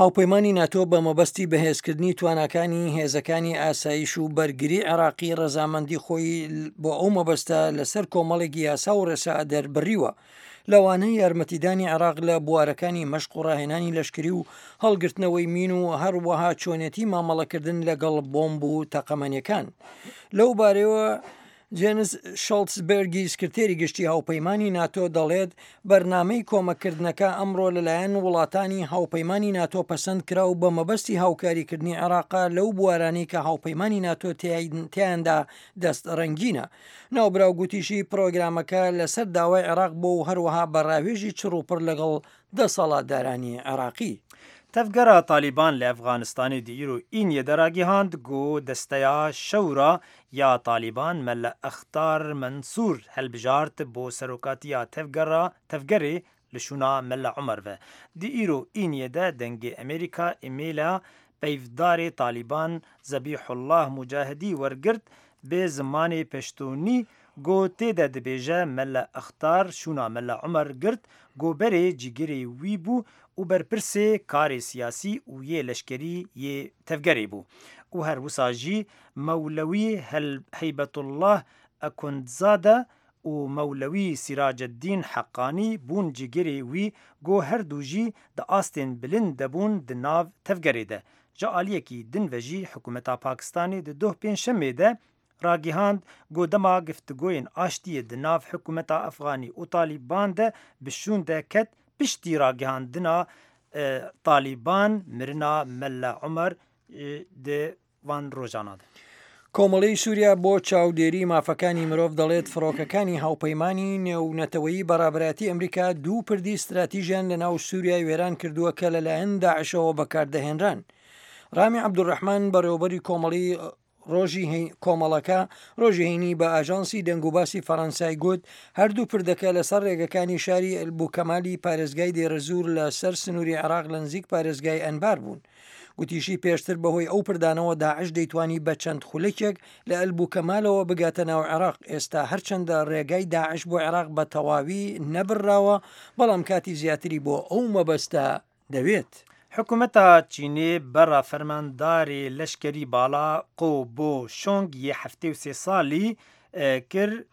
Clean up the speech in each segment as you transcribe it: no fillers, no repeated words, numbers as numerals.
هاوپەیمانی ناتۆ بە مەبەستی بەهێزکردنی تواناکانی هێزەکانی ئاسایش و بەرگری عێراقی ڕەزامەندی خۆی بۆ ئەو مەبەستە لەسەر کۆمەڵێک یاسا و ڕێسا دەربڕیوە، لەوانە یارمەتیدانی عێراق لە بوارەکانی مەشق و ڕاهێنانی لەشکری و هەڵگرتنەوەی مین و هەروەها چۆنێتی مامەڵەکردن لەگەڵ بۆمب و تەقەمەنیەکان. لەو بارەیەوە جێنس شۆڵتزبێرگی سکرتێری گشتی هاوپەیمانی ناتۆ دەڵێت بەرنامەی کۆمەککردنەکە ئەمڕۆ لەلایەن وڵاتانی هاوپەیمانی ناتۆ پەسەند کرا و بە مەبەستی هاوکاریکردنی عێراقە لەو بوارانەی کە هاوپەیمانی ناتۆ تیایاندا دەست ڕەنگینە. ناوبراو گوتیشی پرۆگرامەکە لەسەر داوای عێراق بووە و هەروەها بە ڕاوێژی چڕوپڕ لەگەڵ دەسەڵاتدارانی عێراقی. Tevgera Talîban li Efxanistanê di îro Îniyê de ragihand ku Desteya Şewra ya Talîban Mele Extar Mensûr hilbijart bo serokatiya tevgera tevgerê li şûna Mele Umer ve. Di îro Îniyê de Dengê Amerîka îmêla peyvdarê Talîban Zebîhullah Mucahidî wergirt bi zimanê Peştonî ku tê de dibêje Mele Extar şûna Mele Umer girt ku berê cîgirê wî bû û berpirsê karê siyasî û yê leşkerî yê tevgerê bû û her wisa jî Mewlewî Heybetullah Ekundzade û Mewlewî Sîraceddîn Heqanî bûn cîgirê wî ku her du jî di astên bilind de bûn di nav tevgerê de. Ji aliyekî din ve jî hikûmeta Pakistanê di doh Pêncşemê de ragihand ku dema giftigoyên aştiyê di nav hikûmeta Efxanî û Talîban de bi şûn de ket piştî ragihandina Talîban mirina Mele Umer di van rojana de. کۆمەڵەی سووریا بۆ چاودێری مافەکانی مرۆڤ دەڵێت فڕۆکەکانی هاوپەیمانی نێونەتەوەیی بە ڕابەرایەتی ئەمریکا دوو پردی ستراتیژیان لە ناو سووریای وێران کردووە کە لەلایەن داعشەوە بەکاردەهێنران. ڕامی عەبدولڕەحمان بەڕێوەبەری کۆمەڵی ڕۆژی کۆمەڵەکە ڕۆژی هەینی بە ئاژانسی دەنگوباسی فەڕەنسای گوت، هەردوو پردەکە لەسەر ڕێگەکانی شاری ئەلبوکەمالی پارێزگای دێرەزوور لە سەر سنووری عێراق لە نزیک پارێزگای ئەنبار بوون. گوتیشی پێشتر بەهۆی ئەو پردانەوە داعش دەیتوانی بە چەند خولەکێک لە ئەلبوکەمالەوە بگاتە ناو عێراق، ئێستا هەرچەندە ڕێگای داعش بۆ عێراق بە تەواوی نەبڕراوە، بەڵام کاتی زیاتری بۆ ئەو مەبەستە دەوێت. حکومەتا چینê bera fermandarê leşkerî bala Qo Bo Şong yê 73 salî kir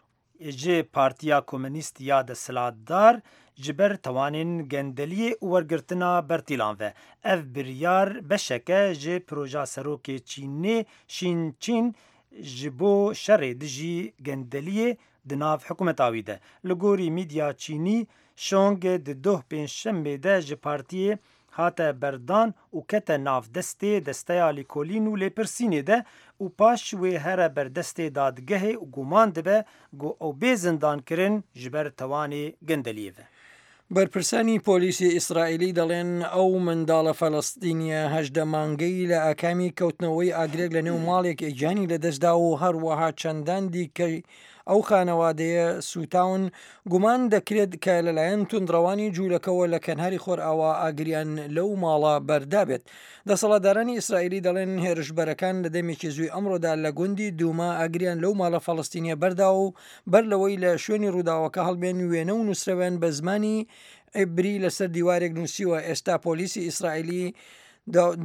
ji Partiya Komünîst ya desthilatdar ji ber tawanên gendeliyê û wergirtina bertîlan ve. Ev biryar beşek e ji proja serokê Çînê Şîn Çîn ji bo şerê dijî gendeliyê di nav hikûmeta wî de. Li gorî mîdya Çînî Şong di doh Pêncşemê de ji partiyê hate berdan û kete nav destê Desteya Lêkolîn û Lêpirsînê de û paş wê here ber destê dadgehê û guman dibe ku ew bê zindankirin ji ber tewanê gendeliyê ve. بەرپرسانی پۆلیسی ئیسرائیلی دەڵێن ئەو منداڵە فەلەستینیە 18 مانگەی لە ئاکامی کەوتنەوەی ئاگرێک لە نێو ماڵێک گیانی لەدەستدا و هەروەها چەندان دیکەی ئەو خانەوادەیە سووتاون، گومان دەکرێت کە لەلایەن توندڕەوانی جوولەکەوە لە کەناری خۆرئاوا ئاگریان لەو ماڵە بەردابێت. دەسەڵاتدارانی ئیسرائیلی دەڵێن هێرشبەرەکان لە دەمێکی زووی ئەمڕۆدا لە گوندی دوما ئاگریان لەو ماڵە فەڵەستینیە بەرداوە و بەر لەوەی لە شوێنی ڕووداوەکە هەڵبێن وێنە و نووسرەویان بە زمانی عیبری لەسەر دیوارێک نووسیوە. ئێستا پۆلیسی ئیسرائیلی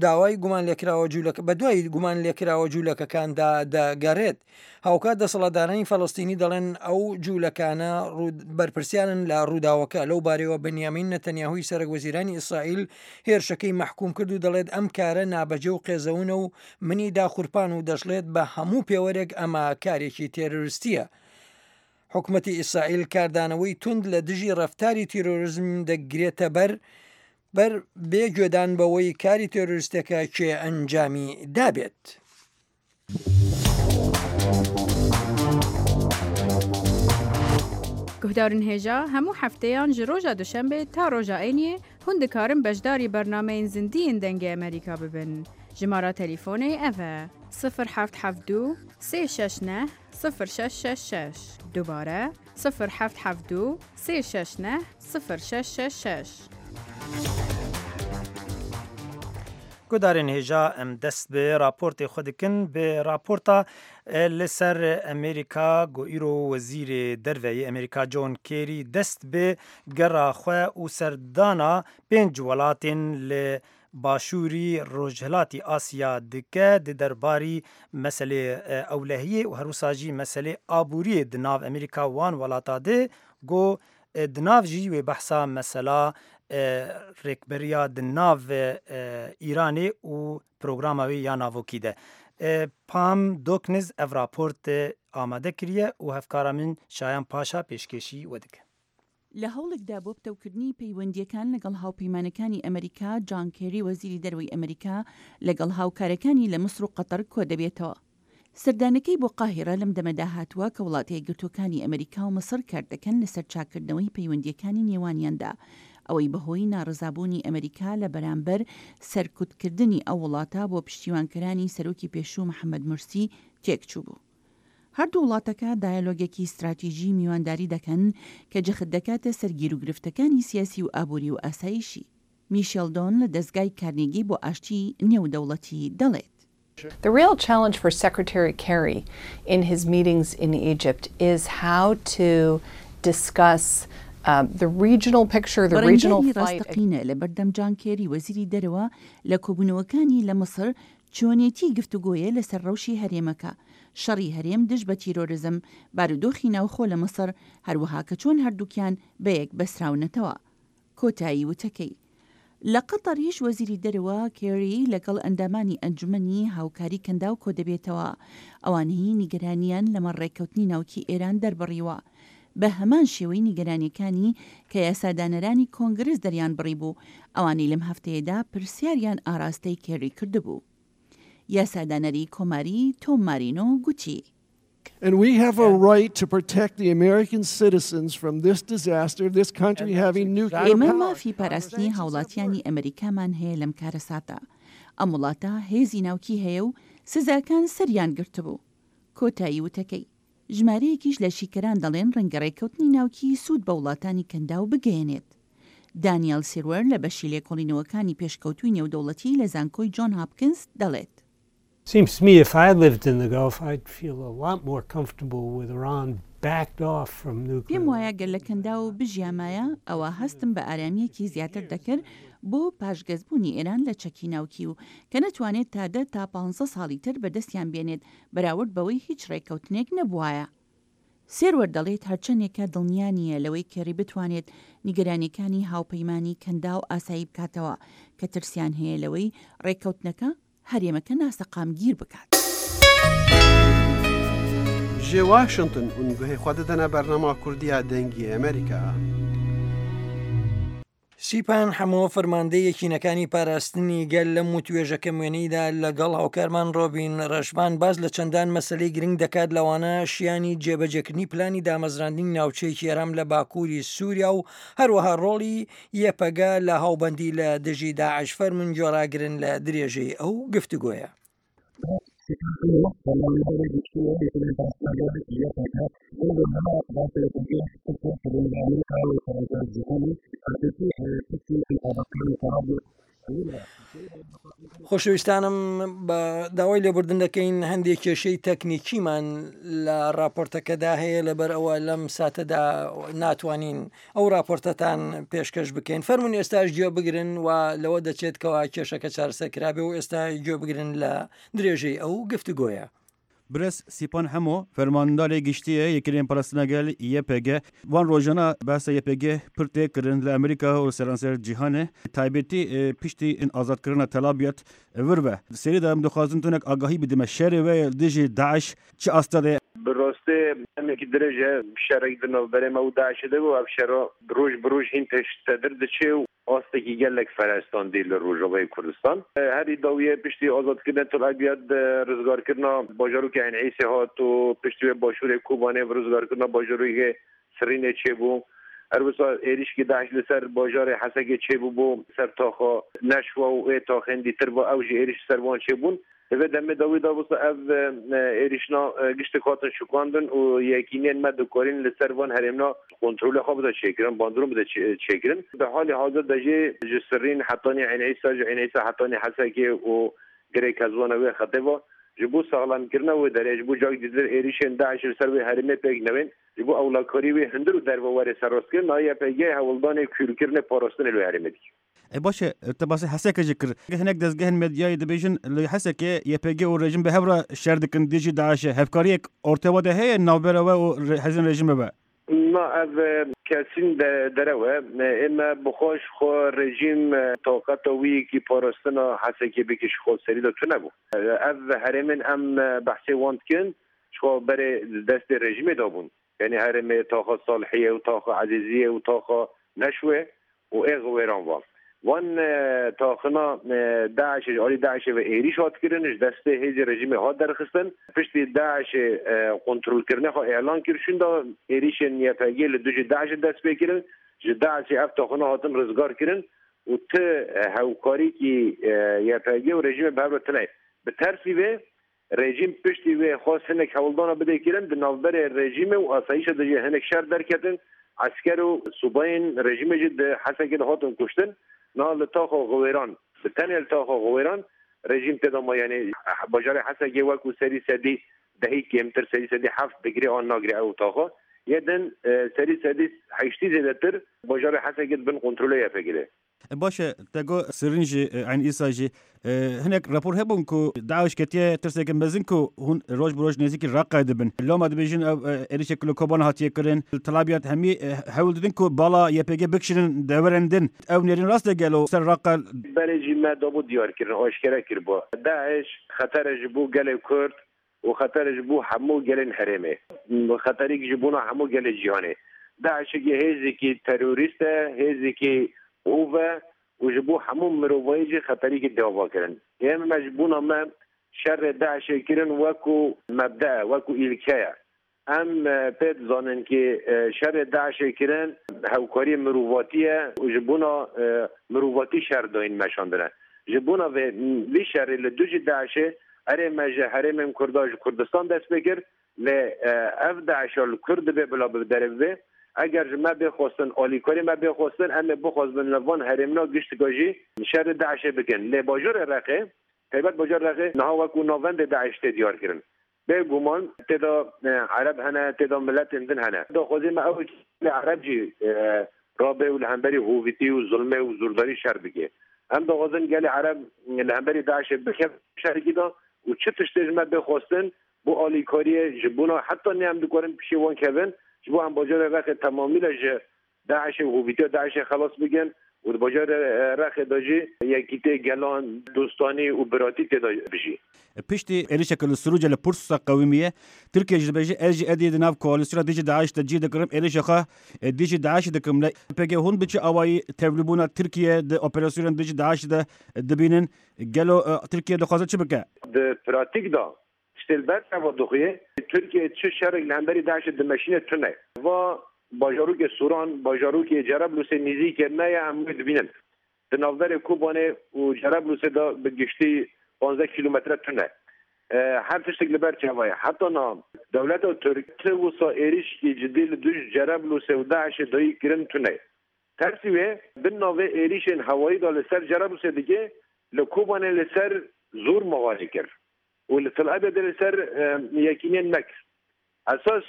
داوای گومانلێکراوە جوولەکە بەدوای گومانلێکراوە جوولەکەکاندا دەگەڕێت. هاوکات دەسەڵاتدارانی فەلەستینی دەڵێن ئەو جوولەکانە بەرپرسیارن لە ڕووداوەکە. لەو بارەیەوە بنیامین نەتەنیاهوی سەرەک وەزیرانی ئیسرائیل هێرشەکەی مەحکوم کرد و دەڵێت ئەم کارە نابەجێ و قێزەونە و منی داخورپان و دەشڵێت بە هەموو پێوەرێک ئەمە کارێکی تێرۆریستییە. حکومەتی ئیسرائیل کاردانەوەی توند لە دژی ڕەفتاری تیرۆریزم دەگرێتەبەر بەر بێ گوێدان بەوەی کاری تێرۆریستەکە کێ ئەنجامی دابێت. Guhdarên hêja hemû hefteyan ji roja duşembê ta roja êniyê hûn dikarin beşdarî bernameyên zindî yên Dengê Amerîka bibin. Jimara telîfonê ev e, sifir heft heft du sê şeş neh sifir şeş şeş şeş. Dubare, sifir heft heft du sê şeş neh sifir şeş şeş şeş. Guhdarên hêja em dest bi raportê xwe dikin bi raporta li ser Amerîka ku îro Wezîrê Derve yê Amerîka John Kerry dest bi gera xwe û serdana pênc welatên li. باشووری ڕۆژهەلاتی ئاسیا دکە di derbarî meselê ewlehiyê û herwisa jî meselê aboriyê di nav Amerîka û wan welata de got di nav jî wê behsa mesela rêkberiya di nav Îranê û programa wê ya navokî de. Pam Dokniz ev raport amade kiriye û hevkara min Şayan Paşa pêşkêşî we dike. لە هەوڵێکدا بۆ پتەوکردنی پەیوەندییەکان لەگەڵ هاوپەیمانەکانی ئەمەریکا، جان کێری وەزیری دەرەوەی ئەمەریکا لەگەڵ هاوکارەکانی لە میسر و قەتەر کۆدەبێتەوە. سەردانەکەی بۆ قاهیڕە لەم دەمەدا هاتووە کە وڵاتە یەکگرتووەکانی ئەمەریکا و میسر کاردەکەن لەسەر چاککردنەوەی پەیوەندییەکانی نێوانیاندا، ئەوەی بەهۆی ناڕەزابوونی ئەمەریکا لە بەرامبەر سەرکوتکردنی ئەو وڵاتە بۆ پشتیوانکرانی سەرۆکی پێشوو محەمەد مورسی تێکچووبوو. هەردوو وڵاتەکە دایەلۆگێکی ستراتیژی میوانداری دەکەن کە جەخت دەکاتە سەر گیروگرفتەکانی سیاسی و ئابووری و ئاسایشی. میشێل دۆن لە دەزگای کارنیگی بۆ ئاشتی نێودەوڵەتی دەڵێت. The real challenge for Secretary Kerry in his meetings in Egypt is how to discuss the regional picture, the regional بەڕێنگاری fight. ڕاستەقینە لەبەردەم جان کێری وەزیری دەرەوە لە کۆبوونەوەکانی لە میسر چۆنێتی گفتوگۆیە لەسەر ڕەوشی هەرێمەکە، شەڕی هەرێم دژ بە تیرۆرزم، بارودۆخی ناوخۆ لە میسر، هەروەها کە چۆن هەردووکیان بەیەک بەستراونەتەوە. کۆتایی وتەکەی. لە قەتەریش وەزیری دەرەوە کێری لەگەڵ ئەندامانی ئەنجومەنی هاوکاری کەنداو کۆدەبێتەوە، ئەوانەی نیگەرانییان لەمەڕ ڕێککەوتنی ناوکی ئێران دەربڕیوە. بە هەمان شێوەی نیگەرانییەکانی کە یاسادانەرانی کۆنگرس دەریانبڕیبوو، ئەوانەی لەم هەفتەیەدا پرسیاریان ئاراستەی کێری کردبوو. یاسادانەری کۆماری تۆم مارینۆ گوتی. And we have a right to protect the American citizens from this disaster of this country having nuclear ئێمە power. مافی پاراستنی هاوڵاتیانی ئەمریکامان هەیە لەم کارەساتە. ئەم وڵاتە هێزی ناوکی هەیە و سزاکان سەریان گرتبوو. کۆتایی وتەکەی. ژمارەیەکیش لە شیکەران دەڵێن ڕەنگە ڕێککەوتنی ناوکی سوود بە وڵاتانی کەنداو بگەیەنێت. دانیەل سیروەر لە بەشی لێکۆڵینەوەکانی پێشکەوتووی نێودەوڵەتی لە زانکۆی جۆن هاپکنز دەڵێت. Seems to me if I lived in the Gulf I'd feel a lot more comfortable with Iran backed off from nuclear پێم وایە گەر لە کەنداو بژیامایە ئەوا هەستم بە ئارامییەکی زیاتر دەکرد بۆ پاشگەزبوونی ئێران لە چەکی ناوکی و کە نەتوانێت تا دە تا پانزە ساڵی تر بەدەستیان بێنێت بەراورد بەوەی هیچ ڕێککەوتنێک نەبوایە. سێروەر دەڵێت هەرچەندێکە دڵنیا نییە لەوەی کێڕی بتوانێت نیگەرانییەکانی هاوپەیمانی کەنداو ئاسایی بکاتەوە کە ترسیان هەیە لەوەی ڕێککەوتنەکە هەرێمەکە ناسەقامگیر بکات. Ji Washington hûn guhê xwe didine bernama Kurdî ya Dengê Amerîka. سیپان حەمۆ فەرماندەی یەکینەکانی پاراستنی گەل لەم وتوێژە کەموێنەیدا لەگەڵ هاوکارمان ڕۆبین ڕەشبان باس لە چەندان مەسەلەی گرنگ دەکات لەوانە شیانی جێبەجێکردنی پلانی دامەزراندنی ناوچەیەکی ئارام لە باکووری سووریا و هەروەها ڕۆڵی یەپەگە لە هاوبەندی لە دژی داعش فەرموون گوێڕاگرن لە درێژەی ئەو گفتوگۆیە. خۆشەویستانم بە داوای لێبوردن دەکەین هەندێک کێشەی تەکنیکیمان لە راپۆرتەکەدا هەیە لەبەر ئەوە لەم ساتەدا ناتوانین ئەو راپۆرتەتان پێشکەش بکەین فەرمونون ئێستاش گوێ بگرن و لەوە دەچێت کەوا کێشەکە چارەسەر کرابێ و ئێستا گوێ بگرن لە درێژەی ئەو گفتوگۆیە. Birêz Sîpan Hemo, Fermandarê Giştî yê Yekîneyên Parastina Gel, YPG, Van rojana behsa YPG pir tê kirin li Amerîka û seranser cîhanê, taybetî piştî azadkirina Tel Abyad vir ve. Di serî de em dixwazin tonek agahî bidime şerê we yê li dijî DAIŞ çi asta de ye? Bi rastî demekî dirêj e şerek di navberê me û DAIŞ'ê de bû. Ev şera roj bi roj hîn pêştedir diçe û Astekî gelek ferestandî li Rojavayê Kurdistan. Herî dawiyê piştî azadkirina Til Ebyad rizgarkirina bajarokê Eyn Îsê hat û piştî wê başûrê Kobanê bi rizgarkirina bajarokê Sirînê çêbû. Her wisa êrîşkî DAIŞ li ser bajarê Hesekê çêbûbû ser taxa Neşwa û ê taxên dîtir ve ew jî êrîş li ser wan çêbûn. Di vê demê dawî de wisa ev êrîşna giştik hatin şikandin û yekîniyên me dikarîn li ser van herêmna kontrolê xwe bide çêkirin, bandoron bide çêkirin. Di halê hazir de jî ji Sirrîn hetanî Eyn Îsa, ji Eyn Îsa hetanî Hesekê û Girê Kezwana wê xetê ve ji bo saxlemkirina wê derê, ji bo cak dîtir êrîşên DAIŞ'ê li ser wê herêmê pêk newên, ji bo ewlekarî wê hundir û derve were serrastkirin, YPG hewldanê kûrkirinê parastinê li wê herêmê dike. ئەی باشە te basê Hesekê jî kir. Hinek dezgehên medyayê dibêjin li Hesekê YPG û rejim bi hev re şer dikin dijî DAIŞ'ê. Hevkariyek ortê we de heye navbera we û hêzên rejimê ve? Na ev kesîn derew e. Ême bi xwe ji xwe rejîm taqeta wî yekî parastina Hesekê bike ji xwe serî de tune bû. Ev herêmên em behsê wan dikin ji xwe berê di destê rejîmê de bûn. Yanî herêmê taxa Salihiyê û taxa Ezîziyê û taxa Neşwê û ê Xiwêran va. Van taxina DAIŞ'ê ji alî DAIŞ'ê ve êrîş hat kirin, ji destê hêzê rejîmê hat derxistin. Piştî DAIŞ'ê kontrolkirina xwe îlan kir şûnda êrîşên YPG'ê li dijî DAIŞ'ê dest pê kirin. Ji DAIŞ'ê ev taxina hatin rizgarkirin û ti hewkarîkî YPG û rejîmê bi hev re tune ye. Bi tersî vê Rejîm piştî wê xwest hinek hewldana bide kirin, di navberê rejîmê û asayîşa de jî hinek şer derketin, esker û subayên rejîmê jî di Hesekê de hatin kuştin. Niha li taxa Xiwêran, bi tenê li taxa Xiwêran rejîm tê de ma yanî bajarê Hesekê wekû serî sedî dehî kêmtir serî sedî heft digirê an nagirê ew taxa. Yê din serî sedî heştî zêdetir bajarê Hesekê di bin kontrolê YPG'ê de ye. Baş e, te got Sirîn jî, Eyn Îsa jî. Hinek rapor hebûn ku DAIŞ ketiye tirseke mezin ku hûn roj bi roj nêzîkî Reqayê dibin. Loma dibêjin ew êrîşek ku li Kobanê hatiye kirin, li Tel Abyad hemî hewl didin ku bala YPG bikişînin deverên din. Ew nêrîn rast e gelo ser Reqa? Berê jî me dabû diyarkirin, aşkere kiribû. DAIŞ xeter e ji bo gelê Kurd û xeter e ji bo hemû gelên herêmê. Xeterîk ji bona hemû gelê cîhanê. DAIŞ'ekî hêzekî terorîst e, hêzekî hov e û ji bo hemû mirovayî jî xeterîkî tê avakirin. Ê me ji bona me şerê DAIŞ'ê kirin wekû mebde e, wekû îlke ye. Em pê dizanin ki şerê DAIŞ'ê kirin hevkariyê mirovatî ye û ji bona mirovatî şer dayîn meşandine. Ji bona vê vî şerê li dijî DAIŞ'ê erê me ji herêmên Kurda ji Kurdistan dest pê kir lê ev DAIŞ'a li Kurd dibe bila bi derê bibe. Eger ji me bê xwestin alîkarî me bê xwestin em ê bixwazbin li van herêmina giştika jî şerê DAIŞ'ê bikin. Lê bajarê Reqê taybet bajarê Reqê niha wekû navendê DAIŞ tê diyarkirin. Bê guman tê de ereb hene, tê de miletên din hene. Daxwazê me ew e ki gelê ereb jî rabe û li hemberî hovîtî û zulmê û zordarî şer bike. Em dixwazin gelê ereb li hemberî DAIŞ'ê bikeve şerekî de û çi tiştê ji me bê xwestin bo alîkariyê ji bona heta nê em dikarin pişê wan kevin ji bo em bajarê Reqê temamîle ji DAIŞ'ê û hovîtiya DAIŞ'ê xelas bikin û di bajarê Reqê de jî yekîtê gelan, dostanî û biratî tê de bijî. Piştî êrişeke li Sirûcê li Pursusa qewimiye, Tirkiye jî dibêje ez jî edî di nav koalîsyona dijî DAIŞ de cî dikirim, êrişê xwe dijî DAIŞ'ê dikim. Lê PG hûn bi çi awayî tevlîbûna Tirkiye di operasyonên dijî DAIŞ'ê de dibînin? Gelo Tirkiye dixwaze çi bike? Di pratîk de Tiştê li ber çava dixuyê, Tirkiye çi şerek li hemberî DAIŞ'ê dimeşîne tune ye. Va bajarokê Sûran, bajarokê Cereblûsê nîzîkê me ye em wê dibînin. Di navberê Kobanê û Cereblûsê de bi giştî 15 kîlometre tune. Her tiştek li ber çava ye. Heta niha dewleta Tirk ti wisa êrîşekî cidî li dij Cereblûsê û DAIŞ'ê dayî kirin tune ye. Tersî wê bin navê êrîşên hewayî de li ser Cereblûsê dike, li Kobanê li ser zor mixalê kir. û li Til Abyadê li ser yekîniyên me kir. Esas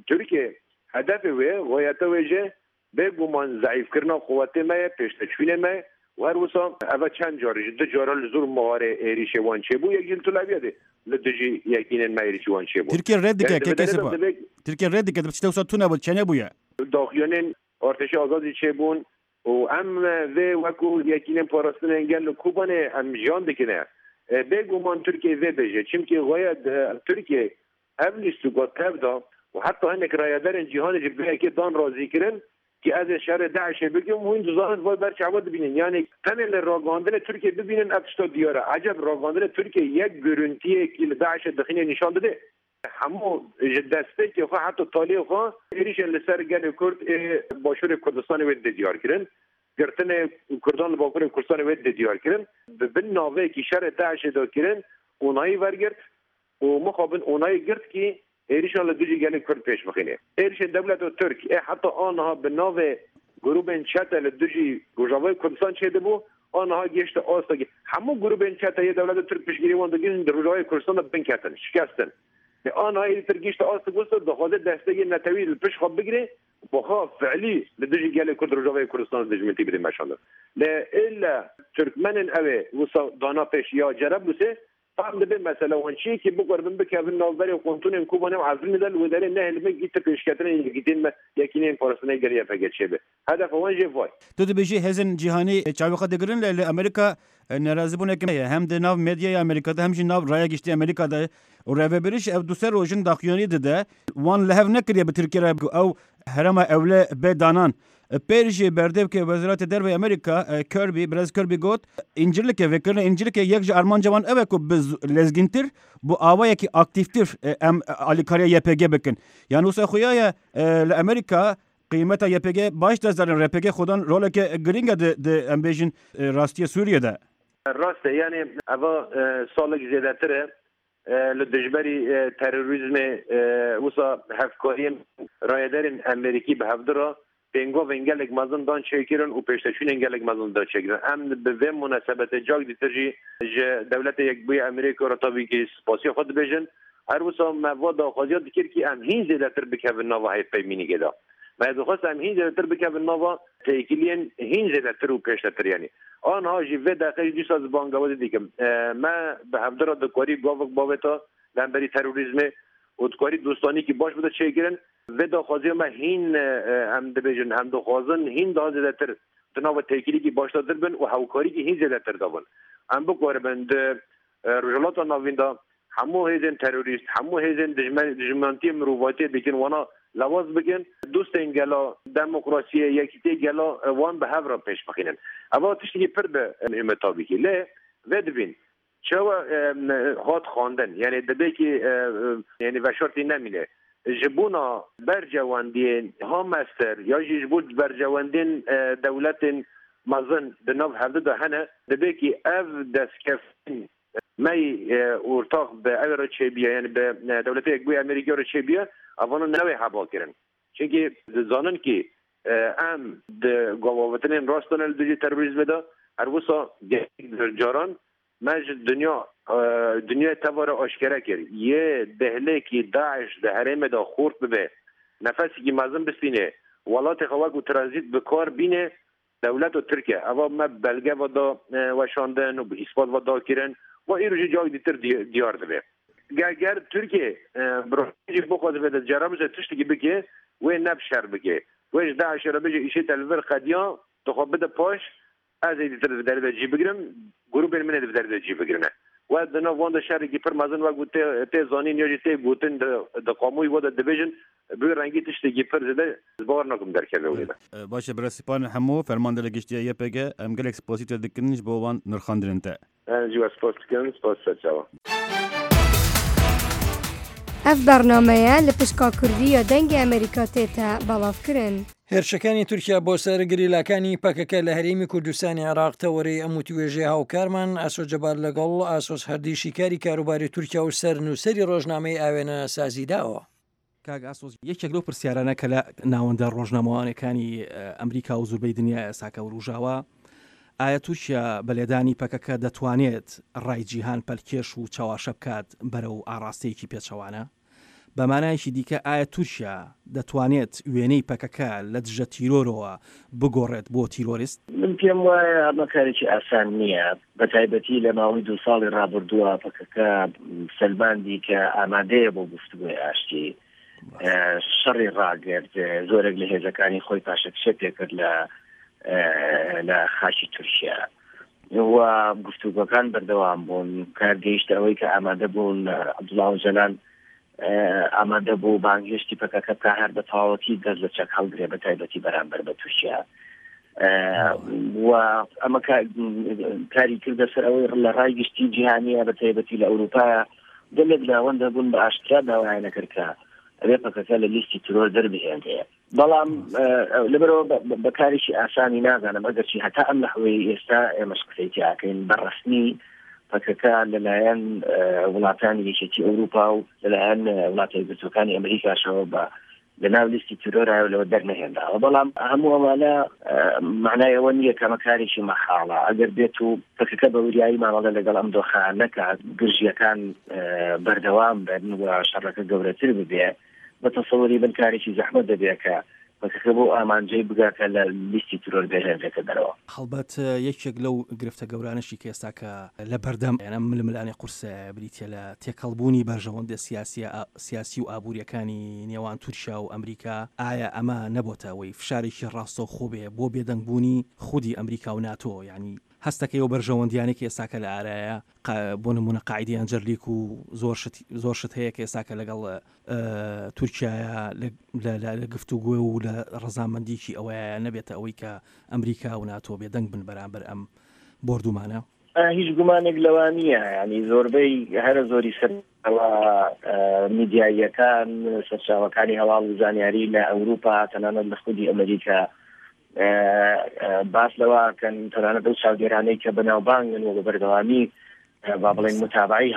Tirkiye hedefê wê, ğayeta wê jî bêguman zeîfkirina quwetê me ye, pêşdeçûyînê me ye û her wisa eve çend car ji du caran li zor mixarê êrîşê wan çêbû, yek jî li Til Abyadê li dijî yekînên me êrîşî wan çêbû. Tirkiye red dike KK Sipa. Tirkiye red dike, tiştek wisa tune bû, çênebûye. Daxuyaniyên Artêşa Azad jî çêbûn Û em vê wekû Yekînên Parastinên Gel li Kobanê em jiyan dikine. Bê guman Tirkiye vê bêje. Çimkî xwe Tirkiye ev lîstûka tev da û heta hinek rayedarên cîhanê jî bi vê yekê dan razîkirin ki ez ê şerê DAIŞ'ê bikim û hûn dizanin vay ber çava dibînin. Yanî tenê li ragihandinê Tirkiye bibînin ev tişta diyar e. Eceb ragihandinê Tirkiye yek görüntiyekî li DAIŞ'ê dixîne nîşan dide. Hemû ji destpêkê xwe heta taliyê xwe êrîşên li ser gelê Kurd ê Başûrê Kurdistanê wê dide diyarkirin. Girtinê Kurdan li Bakurê Kurdistanê wê dide diyarkirin. Bi bin navêkî şerê DAIŞ'ê de kirin onayî wergirt û mixabin onayî girt kî êrîşan li dijî gelê Kurd pêş bixîne. Êrîşên dewleta Tirk ê heta a niha bi navê grûbên çete li dijî Rojavayê Kurdistan çêdibû A niha gihişte astekê. Hemû grûbên çete yê dewleta Tirk piştgirî wan dikin di Rojavayê Kurdistan de binketin, şikestin. Lê a niha êdî Tirk gihişte astek wisa dixwaze destekê netewî li pişt xwe bigire. بخوا فعلی li dijî gelê Kurd Rojavayê Kurdistanê dijmintî bidin meşandin. Lê ille Tirkmenên ewê wisa dana pêş ya Cereblusê fehm dibe mesela wan çi ye kî bikaribin bikevin navberê qontonên Kobanê û Efrînê de li wê derê nehêlibin kî ti pêşketinên yekîtiyên me yekîneyên parastinê gel YPG çêbe. Hedefa wan jê vay. Tu dibêjî hêzên cîhanî çavê xwe digirin lê li Amerîka nerazîbûneke heye hem di nav medyaya Amerîka de hem jî nav raya giştî Amerîka de û rêveberî jî ev du sê roj in daxuyanî dide wan li hev nekiriye bi Tirkiyê re ku ew herêma ewle bê danan. Pêr jî berdevkê Wezaretê Derve Amerîka Kirby, Birêz Kirby got, Încirlikê, vekirina Încirlikê yek ji armanca wan ew e ku bi lezgîntir bi awayekî aktîftir em alîkariya YPG bikin. Yan wisa xuya ye li Amerîka qîmeta YPG baş dest danin, RPG xwedan roleke girîng e di di em bêjin rastiyê Sûriyê de. Rast e, yanî eva salek zêdetir e Li dijberî terorîzmê wisa hevkariyên rayedarên Amerîkî bi hevdu re pêngavên gelek mezin dan çêkirin û pêşdeçûnên gelek mezin dan çêkirin. Em bi vê munesebetê cak dîtir jî ji Dewleta Yekbûyî Amerîka re tabî kî spasiya xwe dibêjin. Her wisa me va daxwaziya dikir kî em hîn zêdetir bikevin nava hevpeymînîkê de. Me dixwest em hîn zêdetir bikevin nava têkiliyên hîn zêdetir û pêşdetir yanî. A niha jî vê deqê jî dîsa ez bangawazî dikim. Me bi hevdu re dikarî gavek bavêta li hemberî terorîzmê û dikarî dostanîkî baş bide çêkirin. Vê daxwaziya me hîn em dibêjin em dixwazin hîn daha zêdetir di nava têkilîkî başdatir bin û hewkarîkî hîn zêdetir de bin. Em bikaribin di Rojhilata Navîn de hemû hêzên terorîst, hemû hêzên dijminantiyê mirovatiyê dikin wana lewaz bikin, dostên gela, demokrasiyê, yekîtiyê gela wan bi hev re pêş bixînin. Eva tiştekî pir bi muhîm e tabî kî. Lê vê dibîn çawa hat xwendin yanî dibê kî yanî veşartî nemîne. Ji bona berjewendiyên Hamester ya jî ji bo berjewendiyên dewletên mezin di nav hevdu de hene, dibe kî ev destkeftên me yî ortax bi ewê re çêbiye yanî bi Dewleta Yekbûyî Amerîkî re çêbiye, evana newê heba kirin. Çimkî dizanin kî em di gavavetinên rast de ne li dijî terorîzmê de, her wisa gelek caran Me ji dinya dinyayê teva re aşkere kir, yê dihilê kî DAIŞ di herêmê de xurt bibe, nefesekî mezin bistîne, welatê xwe wekû tranzît bi kar bîne, dewleta Tirk e. Eva me belge ve da weşandin û bi îspat ve da kirin û îro jî cayek dîtir diyar dibe. Ger Tirkiye bi rastî jî bixwaze vê de Cerablusê tiştekî bike, wê ne bi şer bike. Wê ji DAIŞ'ê re bêje îşê te li vir qediya, tu xwe bide paş, Ez ê dîtir di vê derê de cî bigirim, grûpên min ê di vê derê de cî bigirine. We di nav wan de şerekî pir mezin wek ku tê tê zanîn ya jî tê gotin di di qamûyê we de dibêjin bi wî rengî tiştekî pir zêde ez bawer nakim derkeve wê de. Baş e birêz Sipan Hemo, Fermandarê Giştî ya YPG, em gelek spasî te dikin ji bo wan nirxandinên te. Ez jî we spas dikim, spas ser çawa. Ev bernameye li pişka Kurdî ya Dengê Amerîka tête belavkirin. هێرشەکانی تورکیا بۆ سەر گریلاکانی پەکەکە لە هەرێمی کوردستانی عێراق تەوەرەی ئەم وتوێژەی هاوکارمان ئاسۆ جەبار لەگەڵ ئاسۆس هەردی شیکاری کاروباری تورکیا و سەرنووسەری ڕۆژنامەی ئاوێنە سازیداوە. کاک ئاسۆس یەکێک لەو پرسیارانە کە لە ناوەندە ڕۆژنامەوانەکانی ئەمریکا و زوربەی دنیا ئێستاکە وروژاوە، ئایا تورکیا بە لێدانی پەکەکە دەتوانێت ڕای جیهان پەلکێش و چەواشە بکات بەرەو ئاڕاستەیەکی پێچەوانە؟ بە مانایەکی دیکە ئایا تورکیا دەتوانێت وێنەی پەکەکە لە دژە تیرۆرەوە بگۆڕێت بۆ تیرۆریست؟ من پێم وایە ئەمە کارێکی ئاسان نییە، بە تایبەتی لە ماوەی دوو ساڵی ڕابردووە پەکەکە سەلماندی کە ئامادەیە بۆ گفتوگۆی ئاشتی، شەڕی ڕاگرت، زۆرێک لە هێزەکانی خۆی پاشەکشە پێکرد لە لە خاکی تورکیا و گفتوگۆکان بەردەوام بوون، کار گەیشتە ئەوەی کە ئامادە بوون عەبدوڵا ئۆجەلان ئامادە بوو بانگهێشتی پەکەکە بکا هەر بە تەواوەتی دەست لە چەک هەڵگرێ بە تایبەتی بەرامبەر بە تورکیا و ئەمە کاری کردە سەر ئەوەی لە ڕای گشتی جیهانیە بە تایبەتی لە ئەوروپا گەلێک ناوەندە بوون بە ئاشکرا داوایان نەکرد کە ئەبێ پەکەکە لە لیستی ترۆر دەربهێنرێ بەڵام لەبەرەوە بە کارێکی ئاسانی نازانم ئەگەرچی هەتا ئەم لەحوەی ئێستا ئێمەش قسەی تیاکەین بە ڕەسمی پەکەکە لەلایەن وڵاتانی یەکێتی ئەوروپا و لەلایەن وڵاتە یەکگرتووەکانی ئەمریکاشەوە بە لەناو لیستی تیرۆرایە لەوە دەرنەهێنراوە بەڵام هەموو ئەمانە معنای ئەوە نییە کەمە کارێکی مەحاڵە ئەگەر بێت و پەکەکە بە وریایی مامەڵە لەگەڵ ئەم دۆخە نەکات گرژیەکان بەردەوام بن و شەڕەکە گەورەتر ببێ بە تەسەوری من کارێکی زەحمەت دەبێت کە پەکەکە بەو ئامانجەی بگا کە لە لیستی ترۆر بهێنرێتە دەرەوە. هەڵبەت یەکێک لەو گرفتە گەورانەشی کە ئێستا کە لە بەردەم ئەم ململانێ قورسەیە بریتیە لە تێکەڵبوونی بەرژەوەندە سیاسیە سیاسی و ئابووریەکانی نێوان تورکیا و ئەمریکا، ئایا ئەمە نەبۆتە ئەوەی فشارێکی ڕاستەوخۆ بێ بۆ بێدەنگبوونی خودی ئەمریکا و ناتۆ، یانی هەستەکەی ئەو بەرژەوەندیانەی کە ئێستاکە لە ئارایە بۆ نموونە قاعیدەی ئەنجەرلیک و زۆر شت زۆر شت هەیە کە ئێستاکە لەگەڵ تورکیایە لە گفتوگۆ و لە ڕەزامەندیی ئەوەیە نەبێتە ئەوەی کە ئەمریکا و ناتۆ بێدەنگ بن بەرامبەر ئەم بۆردومانە؟ هیچ گومانێک لەوە نییە ینی زۆربەی هەرە زۆری سەرچاوە میدیاییەکان سەرچاوەکانی هەواڵ و زانیاری لە ئەوروپا تەنانەت لە خودی ئەمریکا باس لەوە کەن تەنانەت ئەو چاودێرانەی کە بەناوبانگن و بە بەردەوامی با بڵێن متابعی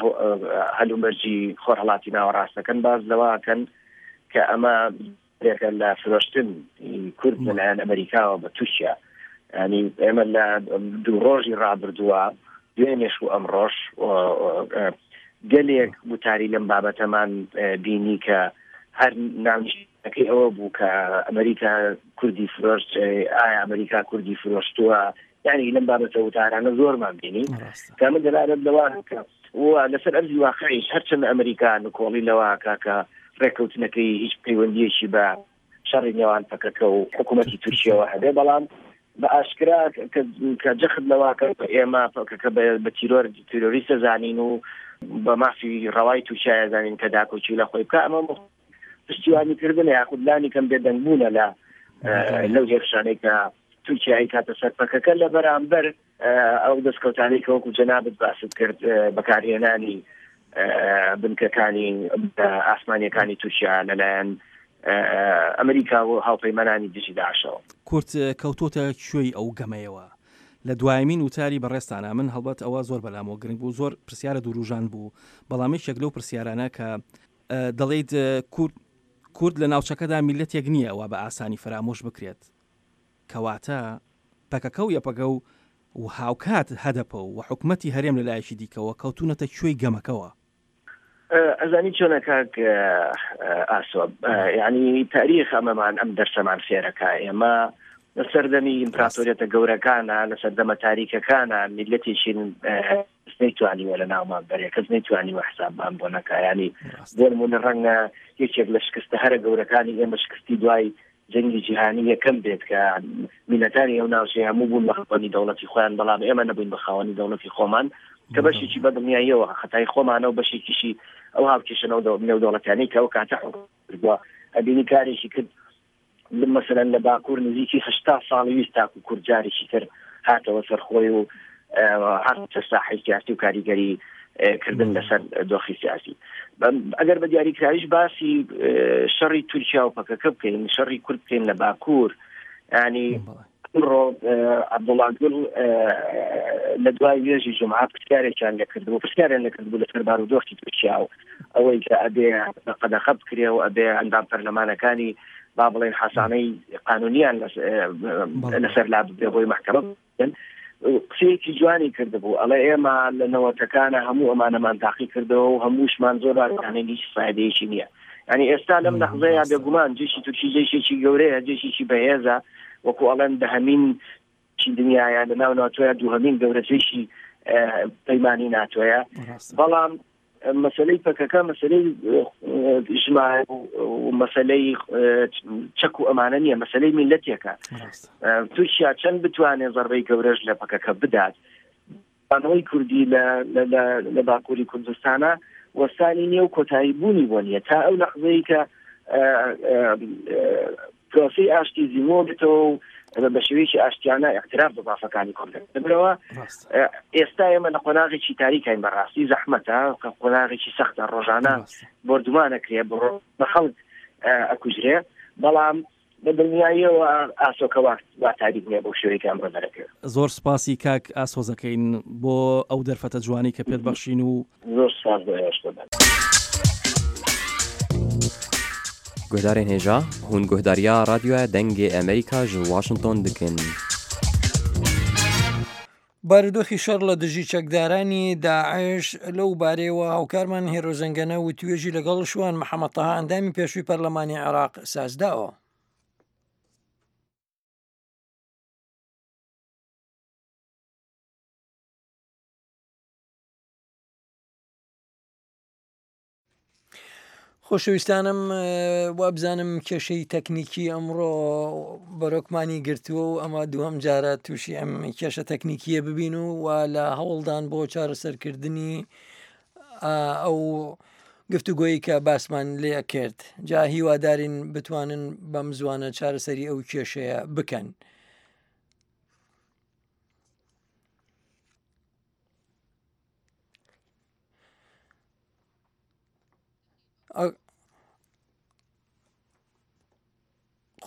هەلومەرجی خۆرهەڵاتی ناوەڕاستەکەن باس لەوە کەن کە ئەمە رێکە لە فرۆشتن کورد لەلایەن ئەمریکاوە بە تورکیا ینی ئێمە لە دوو ڕۆژی ڕابردووە دوێنێش و ئەمڕۆش گەلێک وتاری لەم بابەتەمان بینی کە هەر ناونیشتەکەی ئەوە بوو کە ئەمریکا کوردی فرۆشت ئایا ئەمریکا کوردی فرۆشتووە یعنی لەم بابەتە وتارانە زۆرمان بینی کە من دەلالەت لەوە کە و لەسەر ئەرزی واقعیش هەرچەند ئەمریکا نکۆڵی لەوە کاکە ڕێککەوتنەکەی هیچ پەیوەندیەکی بە شەڕی نێوان پەکەکە و حکوومەتی تورکیەوە هەبێ بەڵام بە ئاشکرا کە جەخت لەوە کە ئێمە پەکەکە بە تیرۆر تیرۆریستە زانین و بە مافی ڕەوای تورکیایە زانین کە داکۆکی لە خۆی بکە ئەمە پشتیوانی کردن یاخود لانی کەم بێدەنگ بوونە لە لەو هێرشانەی کە تورکیا ئەیکاتە سەر پەکەکە لە بەرامبەر ئەو دەستکەوتانەی کە وەکو جەنابت باست کرد بەکارهێنانی بنکەکانی ئاسمانیەکانی تورکیا لەلایەن ئەمریکا و هاوپەیمانانی دژی داعشەوە. کورد کەوتۆتە کوێی ئەو گەمەیەوە؟ لە دوایەمین وتاری بەڕێزتانا من هەڵبەت ئەوە زۆر بەلامەوە گرنگ بوو زۆر پرسیارە دوروژان بوو بەڵام یەکێک لەو پرسیارانە کە دەڵێیت کورد کورد لە ناوچەکەدا میللەتێک نییە وا بە ئاسانی فەرامۆش بکرێت کەواتە پەکەکە و یەپەگە و و هاوکات هەدەپە و حکومەتی هەرێم لە لایەکی دیکەوە کەوتوونەتە کوێی گەمەکەوە؟ ئەزانی چۆنە کاک ئاسۆ یعنی تاریخ ئەمەمان ئەم دەرسەمان فێرەکە ئێمە لە سەردەمی ئیمپراتۆریەتە گەورەکانە لە سەردەمە تاریکەکانە میلەتێکی کەس نەیتوانیوە لە ناومان بەرێ کەس نەیتوانیوە حسابمان بۆ نەکا ینی بۆ نمونە ڕەنگە یەکێک لە شکستە هەرە گەورەکانی ئێمە شکستی دوای جەنگی جیهانی یەکەم بێت کە میلەتانی ئەو ناوچەیە هەموو بوون بە خاوەنی دەوڵەتی خۆیان بەڵام ئێمە نەبووین بە خاوەنی دەوڵەتی خۆمان کە بەشێکی بەدڵنیاییەوە خەتای خۆمانە و بەشێکیشی ئەو هاوکێشە نێودەوڵەتیانەی کە ئەو کاتە حکوم کردووە ئەبینی کارێکی کرد مەسەلەن لە باکوور نزیکی هەشتا ساڵی ویست تاکو کورد جارێکی تر هاتەوە سەر خۆی و هاتە ساحەی سیاسی و کاریگەری کردن لەسەر دۆخی سیاسی ئەگەر بە دیاریکراویش باسی شەڕی تورکیا و پەکەکە بکەین شەڕی کورد بکەین لە باکوور ینی ئەمڕۆ عەبدوڵا گوڵ لە دوای نوێژی جومعە پرسیارێکیان لێکردبوو پرسیاریان لێکردبوو لەسەر بارودۆخی تورکیا و ئەوەی کە ئەبێ بە قەدەخە بکرێ و ئەبێ ئەندام پەرلەمانەکانی با بڵێن حەسانەی قانونیان لەسەر لا ببرێ بۆی مەحکەمە بکەن قسەیەکی جوانی کردبوو ئەڵێ ئێمە لە نەوەتەکانە هەموو ئەمانەمان تاقی کردەوە و هەمووشمان زۆر باشانین هیچ فایدەیەکی نییە یعنی ئێستا لەم لەحزەیە بێگومان جێشی تورکی جێشێکی گەورەیە جێشێکی بەهێزە وەکو ئەڵێن دەهەمین چی دنیاە لە ناو ناتۆیە دووهەمین گەورە جێشی پەیمانی ناتۆیە بەڵام مەسلەی پەکەکە مەسلەی ژمارە و مەسلەی چەک و ئەمانە نییە مەسلەی میلەتێکە تورکیا چەند بتوانێت زەربەی گەورەش لە پەکەکە بدات بانەوەی کوردی لە باکووری کوردستانە وەستانی نییە و کۆتایی بوونی بۆ نییە تا ئەو لەحزەی کە پرۆسی ئاشتی زیمۆ بێتەوە و بە شێوەیەکی ئاشتیانە اعتراف بە مافەکانی کورد لەبەرەوە ئێستا ئێمە لە قۆناغێکی تاریکین بەڕاستی زەحمەتە قۆناغێکی سەختە ڕۆژانە بۆردومانەکرێ بڕۆ بە خەڵک ئەکوژرێ بەڵام بە دڵنیاییەوە ئاسۆکە وا وا تاریک نییە بەو شێوەیە کە ئەمڕۆ دەرەکەوێت. زۆر سوپاسی کاک ئاسۆ دەکەین بۆ ئەو دەرفەتە جوانەی کە پێت بەخشین و. زۆر سوپاس بۆ ئێوەش قوربان. Guhdarên hêja, hûn guhdariya Radyoya Dengê Amerîka ji Washington dikin. بارودۆخی شەڕ لە دژی چەکدارانی داعش لەو بارەیەوە هاوکارمان هێرۆ زەنگەنە وتوێژی لەگەڵ شوان محەمەد تەها ئەندامی پێشووی پەرلەمانی عێراق سازداوە. خۆشەویستانم وابزانم کێشەی تەکنیکی ئەمڕۆ بەرۆکمانی گرتووە و ئەمە دووەم جارە تووشی ئەم کێشە تەکنیکیە ببین و و لە هەوڵدان بۆ چارەسەرکردنی ئەو گفتوگۆی کە باسمان لێ کرد جا هیوادارین بتوانن بەم زوانە چارەسەری ئەو کێشەیە بکەن.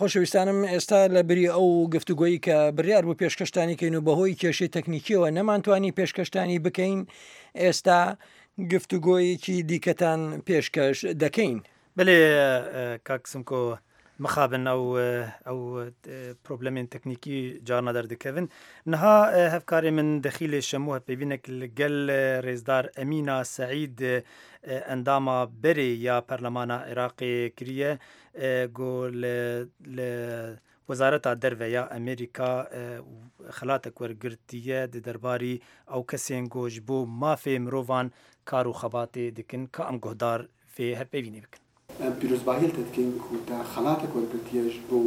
خۆشەویستانم ئێستا لە بری ئەو گفتوگۆیی کە بڕیار بوو پێشکەشتانی کەین و بەهۆی کێشەی تەکنیکیەوە نەمانتوانی پێشکەشتانی بکەین ئێستا گفتوگۆیەکی دیکەتان پێشکەش دەکەین. بەلێ کاک سمکۆ مخابن ئەو ئەو پرۆبلەمێن تەکنیکی جارنا دەردکەون نها هەڤکارێ من دەخیلێ شەموو هەڤپەیڤینەک li gel rêzdar Emîna Seîd endama berê ya Perlemana Iraqê kiriye ku li li Wezareta Derve ya Amerîka xelatek wergirtiye di derbarî ew kesên ku ji bo mafê mirovan kar û xebatê dikin ka em guhdar vê hevpeyvînê bikin. Em pîrozbahiyê li te dikin ku te xelatek wergirtiye ji bo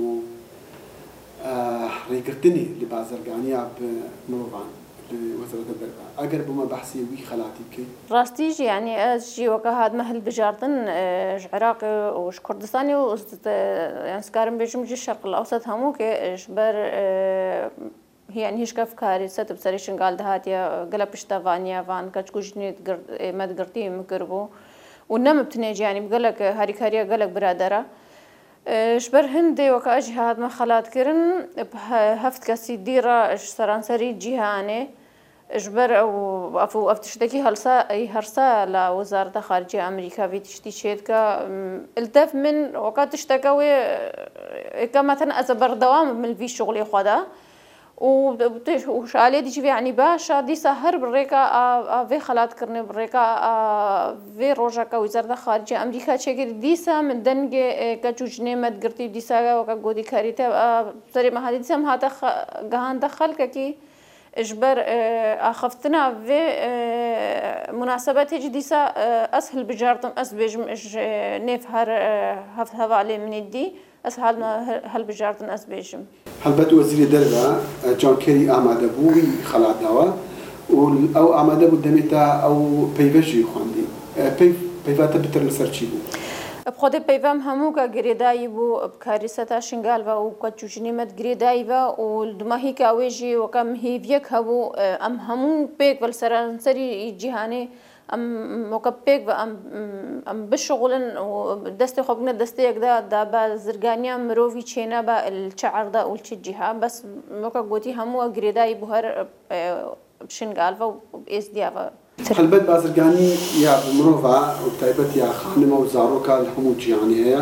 rêgirtinê li bazirganiya bi mirovan li Wezareta Derve. Eger bo me behsê wî xelatî bikey? Rastî jî yanî ez jî weke hatime hilbijartin ji Iraqê û ji Kurdistanê û yan dikarim bêjim ji Şerqil Ewsat hemû kê ji ber Yanî hişka fikarî set bi serê Şingal dihatiye gela piştevaniya van keç ku jinê me digirtî min kiribû û ne min bi tenê jî yanî bi gelek harîkariya gelek biradera. Ji ber hindê weke ez jî hatime xelatkirin bi heft kesî dî re ji seranserî cîhanê ji ber ew ev ev tiştekî helsa hersa la Wezareta Xariciya Amerîka vî tiştî çêdike li tev min weke tişteke wê êka me tena ez berdewam bim li vî şixulê xwe de û ji aliyê dî jî vê yanî baş e dîsa her bi rêka a vê xelatkirinê bi rêka a vê roja ke Wezareta Xariciya Amerîka çêkirî dîsa min dengê keç û jinê me digirtî dîsa weke gotî karîte serê me hatî dîsa min hate gihande xelkekî Ji ber axaftina vê munasebetê jî dîsa ez hilbijartim ez bêjim ji nêv her heft hevalê min ê dî ez hilbijartin ez bêjim. Helbet Wezîrê Derve John Kerry amade bû wî xelat dawe û ew amade bû demê te ew peyve jî xwendî. Peyv peyva te bitir li ser çî bû? Bi xwedê peyva em hemû ke girêdayî bû bi karîseta Şingal ve û keç û jinê me girêdayî ve û li dumahîka wê jî weke em hêviyek hebû em hemû pêk ve li seranserî cîhanê em weke pêk ve em em bişixulin û destê xwe bigine destê yek de da bazirganiya mirovî çênebe li çi erde û li çi cîha bes weke gotî hemû girêdayî bû her bi Şingal ve û bi Êzdiya ve. Helbet bazirganî ya bi mirova û bi taybet ya xanima û zaroka li hemû cîhanê heye.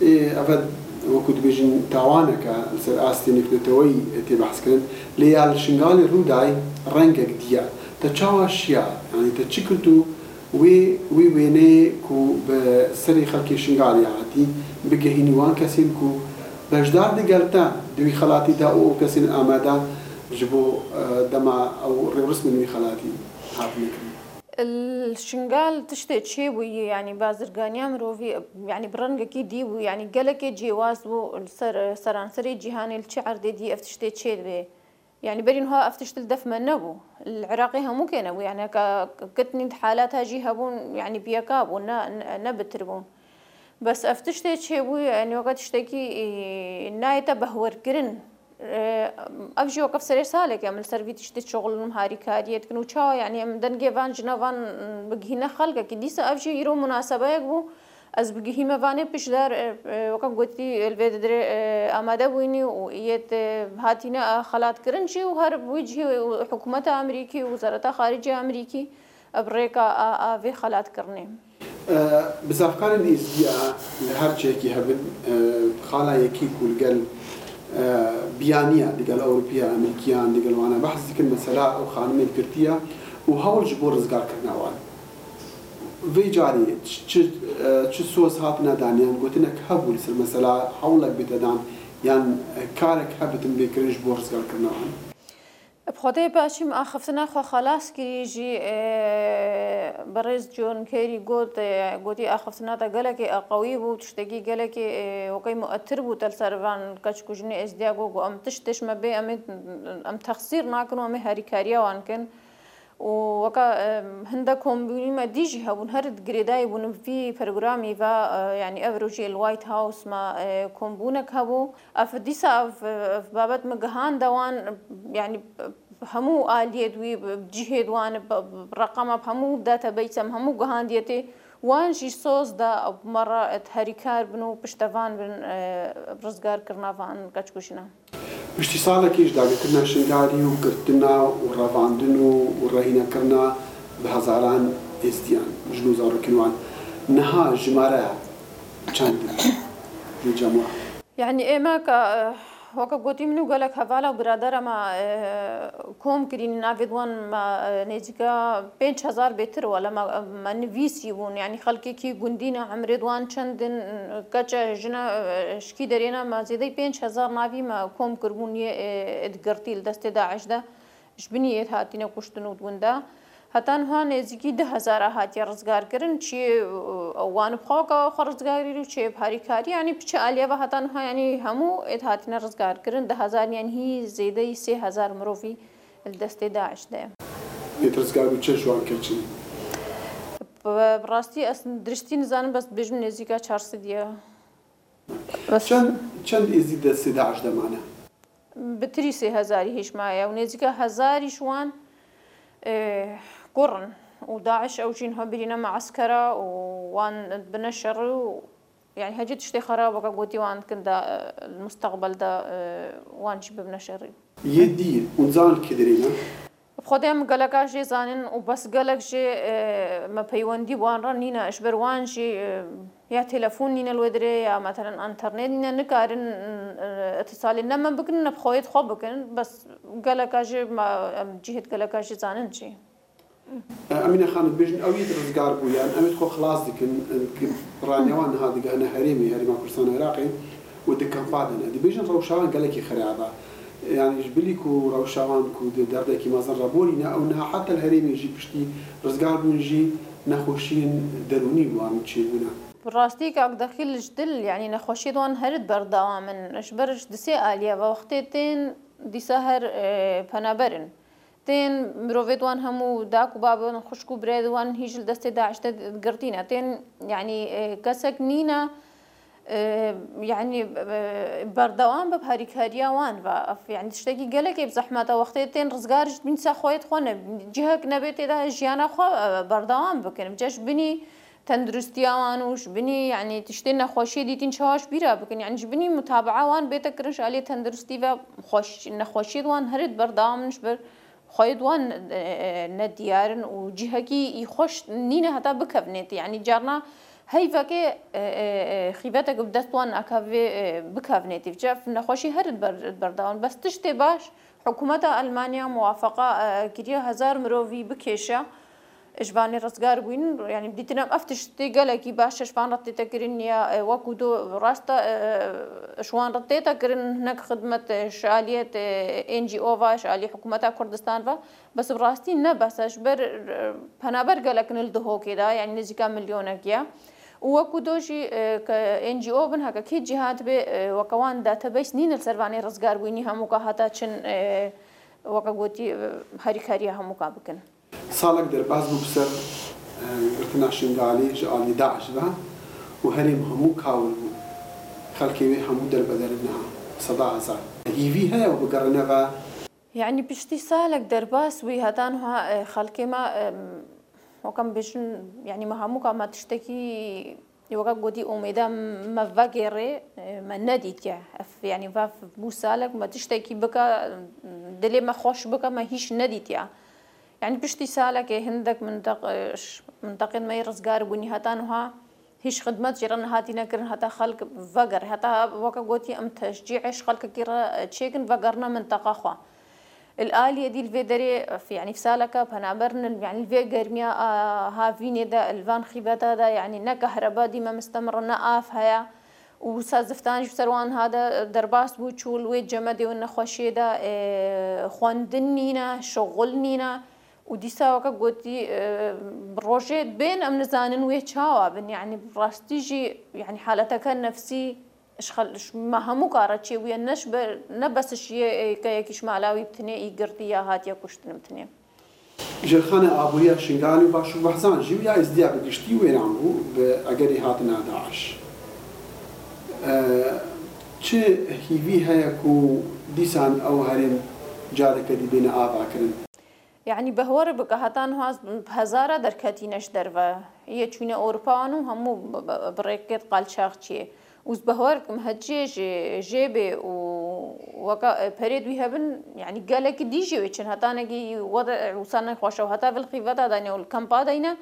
Ê eve wekû dibêjin tawanek e li ser astê nêvneteweyî tê behskirin. Lê ya li Şingalê rû day rengek diye. Te çawa şiya yanî te çi kir tu wê wê wêneyê ku bi serê xelkê Şingalê hatî bigehînî wan kesên ku beşdar digel te di wî xelatî de û ew kesên amade ji bo dema ew rêwrismên wî xelatî hatine kirin. Li Şingal tiştê çêbûyî yanî bazirganiya mirovî yanî bi rengekî dî bû yanî gelekê cêwaz bû li ser seranserê cîhanê li çi erdê dî ev tiştê çêdibe yanî berî niha ev tişt li def me nebû li Iraqê hemû kê nebû yanî heke ketnî di halata jî hebûn yanî bi yeka bûn ne ne bitir bûn bes ev tiştê çêbû yanî weke tiştekî nayête behwerkirin Ev jî weke serê saleke em li ser vî tiştê şixulin harîkariyê dikin û çawa yanî em dengê van jina van bigihîne xelkekî. Dîsa ev jî îro munasebeyek bû ez bigihîme vanê piştdar weke gotî li vê dirê amade bûyînî û yê hatîne xelatkirin jî û her wî cihê hikûmeta Amerîkî û Wezareta Xaricî Amerîkî bi rêka a vê xelatkirinê. Bizavkarên Êzidî li her cihekî hebin, xala yekî ku li gel biyaniya, li gel Ewropiya, Amerîkiyan, li gel wan behs dikin mesela ew xanimên girtiye û hewl ji bo rizgarkirina wan. Vê carê çi çi soz hatine dan yan gotinek hebû li ser mesela hewlek bête dan yan karek hebitin bê kirin ji bo rizgarkirina wan? بخودێ پاشی م ئاخفتنا خوە خەلاس کری ژی بەڕێز جۆن کێری گۆت گۆتی ئاخفتنا تە گەلەکێ قەوی بوو تشتەکی گەلەکێ وەکەی موئەتر بوو تەل سەر ڤان کەچ کوژنێ ئێزدیا گۆ گۆ ئەم تشتێش مە بێ ئەمێ ئەم تەخسیر ناکن و ئەمێ هاریکاریا وان کن و وەکە هندە کۆمبوونی مە دیژی هەبوون هەر گرێدای بوون ڤی پرۆگرامی ڤا یانی ئەڤ رۆژی ال وایت هاوس مە کۆمبوونەک هەبوو ئەف دیسا ئەف بابەت م گهاندە وان یانی هەموو ئالیێت وی جهێت وان ڕەقەمە هەموو داتابەیسەم هەموو گهاندیەتێ وان ژی سۆز دا مەڕە هەریکار بن و پشتەڤان بن ڕزگار کرنا ڤان کەچ کوژنا. پشتی ساڵێکیش داگیرکردنا شنگالی و گرتنا و ڕەڤاندن و ڕەهینەکردنا بە هەزاران ئێزدیان، ژن و زاڕۆکین وان نها ژمارە چەندن لە جەموا؟ یەعنی ئێمە کە وەکە گۆتی من و گەلەک هەڤالا و برادەرە مە کۆم کرین ناڤێد وان مە نێزیکە 5000 بێتر وەلە مە مە نڤیسی بوون یەعنی خەڵکێکی گوندینە عەمرێد وان چەندن کەچە ژنە شکی دەرێنە مە زێدەی 5000 ناڤی مە کۆم کربوون یێ ئێد گڕتی لە دەستێ داعش دە ژ بنی ئێت هاتینە کوشتن و وندا هەتا نها نێزیکی دە هەزارا هاتیە ڕزگار کرن چێ وان بخوا کە خو ڕزگار و چێ هاریکاری یانی بچ ئالیەڤە هەتا نها یانی هەموو ئێت هاتینە ڕزگار کرن دە هەزار یان هی زێدەی 3000 مرۆڤی دەستێ داعش دەیە. ئێت ڕزگار بوو چە ژوان کەچن؟ ڕاستی ئەس درستی نزانم بەس بێژم نێزیکا چارسدیە. چەند چەند ئێزدی دەستێ داعش دەمانە؟ بتری سێ هەزاری هیچ مایە و نێزیکە هەزاریش وان کوڕن و داعش ئەو ژین هە برینە مەعسکەرە و وان بنە شەڕ و یعنی هەجی تشتێ خەرابەکە گوتی وان دکن دا مستەقبەل دا وانشی ببنە شەڕی. یە دی ئونزان کدرینە؟ بخودێ م گەلەکا ژێ زانن و بەس گەلەک ژێ مە پەیوەندی وان ڕە نینە ئشبەر وان ژی یا تەلەفۆن نینە لوێ درێ یا مەتەلەن ئەنتەرنێت نینە نکارن ئتسالێ نە مە بکن نە بخۆیت خۆ بکن بەس گەلەکا ژێ مە جهت گەلەکا ژێ زانن چی. ئەمینە خانم بێژن ئەویت ڕزگار بوو یان ئەویت خۆ خلاص دکن ڕانیەوان نها دگهنە هەرێمی هەرێما کوردستان عێراقی و د کەمپا دەنە دبێژن ڕەوشاوان گەلەکی خرابە یانیش بلی کو ڕەوشاوان کو د دەردێکی مەزن ڕەبۆرینە ئەو نها حەتە هەرێمی ژی پشتی ڕزگار بوون ژی نەخۆشیین دەروونی بوان چێ بوونە. ڕاستی کاک دەخیل ژ دل یانی نەخۆشیێد وان هەرد بەردەوامن ژ بەر ژ دسێ ئالیە ڤە وەختێ تێن دیسا هەر پەنابەرن تێن مرۆڤێد وان هەموو داک و بابن خوشک و برایێد وان هیچ لە دەستێ داعش دە گرتینە تێن یانی کەسەک نینە یعنی بەردەوام بە هاریکارییا وان ڤە یعنی تشتێکی گەلەکێ زەحمەتە وەختێ تێن ڕزگارش بین سا خۆیت خۆ جهک نەبێت تێدا ژیانە خۆ بەردەوام بکەن جەش بنی تەندروستیا وان و بنی یعنی تشتێ نەخۆشیە دیتین چاواش بیرا بکەن یعنی بنی متابعە وان بێتە کرنش ئالیە تەندروستی و خۆش نەخۆشیت وان هەرت بەردەوامنش بەر خۆیت وان نەدیارن و جهکی ئی خۆش نینە هەتا بکەڤنێت یعنی جارنا هەیڤەکێ خیڤەتەک بدەست وان ئەکەڤێ بکەڤنێتی جەف نەخۆشی هەرت بەردەوام بەس تشتێ باش حکوومەتە ئەلمانیا موافقە کریە هەزار مرۆڤی بکێشە ژڤانی ڕزگار بووین یعنی دیتنم ئەف تشتی گەلەکی باشە ژڤان ڕەتێتە کرن یا وەکو دۆ ڕاستە شوان ڕەتێتە کرن هنەک خدمەت شالیەت NGO ڤا شالی حکوومەتە کوردستان ڤا بەس بڕاستی نە بەسە ژبەر پەنابەر گەلەکن دهۆکێدا یعنی نزیکا ملیۆنەکیە وەکو دۆژی کە NGO بن هەکە کێ جیهات بێ وەکەوان داتەبەیس نینە سەروانەی ڕزگار بووینی هەمووکە هەتا چن وەکە گوتی هاریکاریە هەمووکا بکەن. ساڵێک دەرباز بوو بسەر گرتنا شنگالی ژ ئالی داعش ڤە و هەرێم هەموو کاول بوو خەلکێ وێ هەموو دەربەدەرن نها سەدا هەزار هیڤی هەیە و بگەڕنەڤە. یعنی پشتی سالک دەرباس بووی هەتا نها خەلکێ مە وەکەم بێژن یعنی مە هەمووکا مە تشتەکی وەکە گوتی ئومێدا مە ڤەگێڕێ مە نەدیتیە یعنی ڤا بوو سالک مە تشتێکی بکە دلێ مە خۆش بکە مە هیچ نەدیتیە یعنی پشتی سالەکێ هندێک منتەق منتەقێن مەی ڕزگار بوونی هەتا نها هیچ خدمەت ژێرە نهاتی نەکردن هەتا خەلک ڤەگەڕ هەتا وەکە گوتی ئەم تەشجیعش خەلکەکی ڕە چێکن ڤەگەڕنە منتەقە خوا الآلیە دی لڤێ دەرێ یعنی فسالەکە پەنابەرن یعنی لڤێ گەرمیا هاڤینێ دە الڤان خیبەتا دا یعنی نە کەهرەبا دیمە مستەمڕە نە ئاف هەیە. û wisa ziftan jî bi ser wan hate derbas bû çû li wê cemedê û nexweşiyê de xwendin nîne, şixul nîne û dîsa weke gotî bi rojê bên em nizanin wê çawa bin yanî bi rastî jî yanî haleteke nefsî ji me hemû ka re çêbûye ne ji ber ne bes ji yê keyekî ji mala wî bi tenê î girtî ya hatiye kuştin bi tenê. Jêrxana aboriya Şingalê û Başûrbehzan jî û ya Êzidiya bi giştî wêran bû bi egerê hatina daiş. Çi hîvî heye ku dîsan ew herêm careke dî bêne avakirin? Yanî behwere bike heta niha bi hezara derketîne ji derve. Yê çûne Ewropa wan û hemû bi rêkê qalçaxçiyê. Û ez behwer dikim heciyê jê jê bê û weke perê wî hebin yanî gelekî dî jê wê çin heta nekî wede wisa nexweş e û heta vil xîveta dayne û li kampa dayne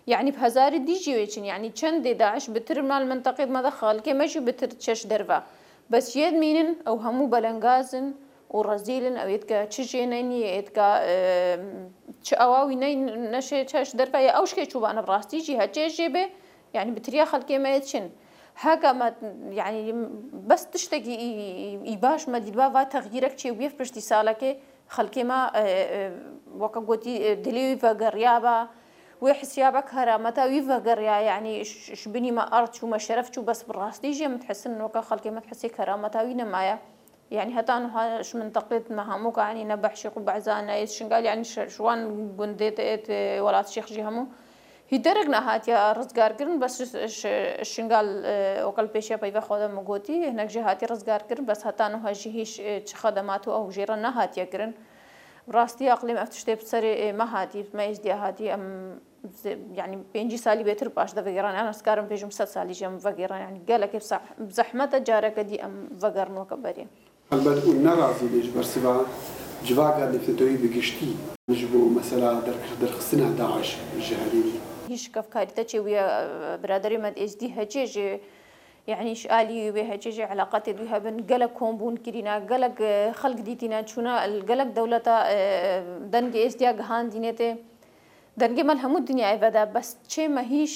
yanî bi hezarî dî jê wê çin yanî çendê daiş bi tir me li minteqê me de xelkê me jî bi tir diçe ji derve bes yê dimînin ew hemû belengaz in û rezîl in ew yê dike çi jê neynî yê dike çi ewa wî ney neşê çe ji derve ye ew ji kê çûbane bi rastî jî heçê jê bê Yanî bi tiriya xelkê me yê diçin. Heke me yanî bes tiştekî î baş me dîtba va texyîrek çêbûye piştî salekê xelkê me weke gotî dilê wî vegeriyaba wê hisiya be kerameta wî vegeriya yanî ji binî me erd çû me şeref çû bes bi rastî jî em dihisin weke xelkê me dihisê kerameta wî nemaye. Yanî heta niha ji minteqê me hemû ka yanî ne Behşîq û Behza ne yê Şingal yanî ji wan gundê welat Şêx jî hemû Hî derek nehatiye rizgarkirin bes ji Şingal weke li pêşiya peyva xwe de min gotî hinek jê hatiye rizgarkirin bes heta niha jî hîç çi xedemat û ew jê re nehatiye kirin. Bi rastî aqlê me ev tiştê bi serê me hatî, bi me êzdiya hatî em yanî 50 salî bêtir paş de vegeran yan ez dikarim bêjim 100 salî jî em vegeran yanî gelekê bi zehmet e careke dî em vegerin weke berê. Helbet û ne razî bê ji bersiva civaka navnetewî bi giştî ji bo mesela derxistina daiş ji herêmê. Hîç kevkarî te çêbûye biraderê me di êzdî hecê jê yanî ji alî wê hecê jê eleqetê dû hebin gelek kombûn kirîne gelek xelk dîtîne çûne li gelek dewleta dengê êzdiya gihandînê tê dengê me li hemû dinyayê vede bes çê me hîç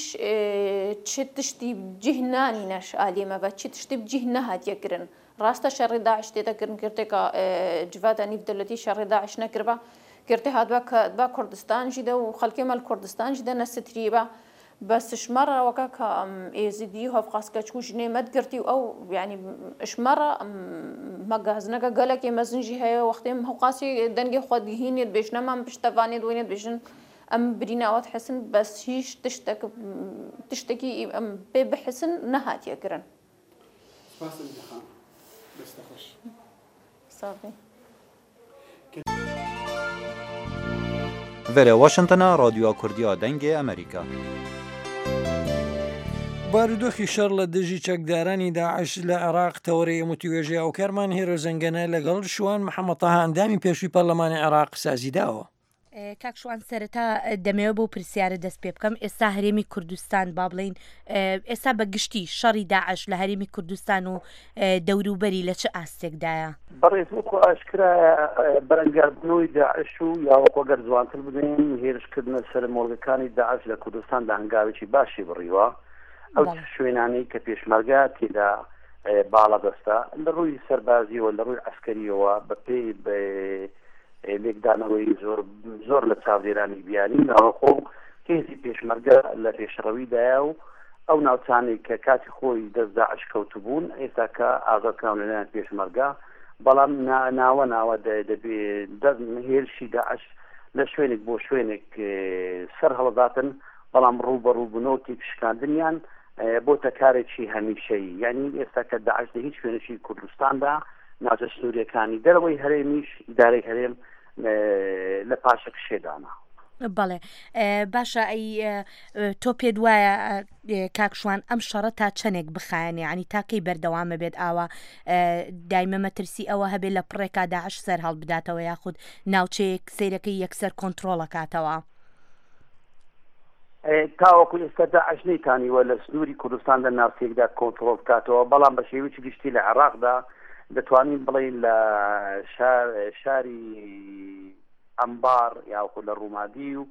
çi tiştî bi cîh nanîne ji aliyê me ve çi tiştî bi cîh nehatiye kirin Rast e şerê DAIŞ tê de kirin kirtêka civata nîvdewletî şerê DAIŞ nekiriba. Kirtê hatiba ketiba Kurdistan jî de û xelkê me li Kurdistan jî de nesitirî ba. Bes ji me re weke ka em êzidî û hevqas keçik û jinê me digirtî û ew yanî ji me re me gazineke gelekê mezin jî heye wextê em hevqasî dengê xwe digihînê dibêjin em em piştevanê diwênê dibêjin em birîna we dihisin bes hîç tiştek tiştekî em pê bihisin nehatiye kirin. Spas Emîne xan. Dest te xweş. Sax bî. Verê Washingtona Radyoya Kurdî ya Dengê Amerîka. بارودۆخی شەڕ لە دژی چەکدارانی داعش لە عێراق تەوەرەی ئەم وتوێژەی هاوکارمان هێرۆ زەنگەنە لەگەڵ شوان محەمەد تەها ئەندامی پێشووی پەرلەمانی عێراق سازیداوە. کاک شوان سەرەتا دەمەوێت بەو پرسیارە دەست پێ بکەم ئێستا هەرێمی کوردستان با بڵین ئێستا بە گشتی شەڕی داعش لە هەرێمی کوردستان و دەوروبەری لە چ ئاستێکدایە؟ بەڕێز وەکو ئاشکرایە بەرەنگاربوونەوەی داعش و یاوەکو گەر جوانتر بڵێین هێرشکردنە سەر مۆڵگەکانی داعش لە کوردستان لە هەنگاوێکی باشی بڕیوە ئەو شوێنانەی کە پێشمەرگە تێدا باڵادەستە لە ڕووی سەربازیەوە لە ڕووی عسکەریەوە بە پێی لێکدانەوەی زۆر زۆر لە چاودێرانی بیانی و ناوەخۆ و هێزی پێشمەرگە لە پێشڕەویدایە و ئەو ناوچانەی کە کاتی خۆی دەست داعش کەوتبوون ئێستا کە ئازاد کراون لەلایەن پێشمەرگە بەڵام ناوە ناوە دەبێ هێرشی داعش لە شوێنێک بۆ شوێنێک سەر هەڵداتن بەڵام ڕووبەڕووبوونەوە تێکشکاندنیان بۆتە کارێکی هەمیشەیی یعنی ئێستا کە داعش لە هیچ شوێنێکی کوردستاندا ناوچە سنووریەکانی دەرەوەی هەرێمیش ئیدارەی هەرێم لە پاشەکشێدانە. بەڵێ باشە ئەی تۆ پێت وایە کاک شوان ئەم شەڕە تا چەندێک بخایەنێ ینی تاکەی بەردەوامە بێت ئاوا دایمە مەترسی ئەوە هەبێت لە پڕێکا داعش سەر هەڵبداتەوە یاخود ناوچەیەک سیرەکەی یەکسەر کۆنتترۆڵەکاتەوە. تاوەکو ئێستا داعش نەیتانیوە لە سنووری کوردستان لە ناوچەیەکدا کۆنتڕۆڵ بکاتەوە، بەڵام بە شێوەیەکی گشتی لە عێراقدا دەتوانین بڵێین لە شاری ئەنبار یاخود لە ڕومادی و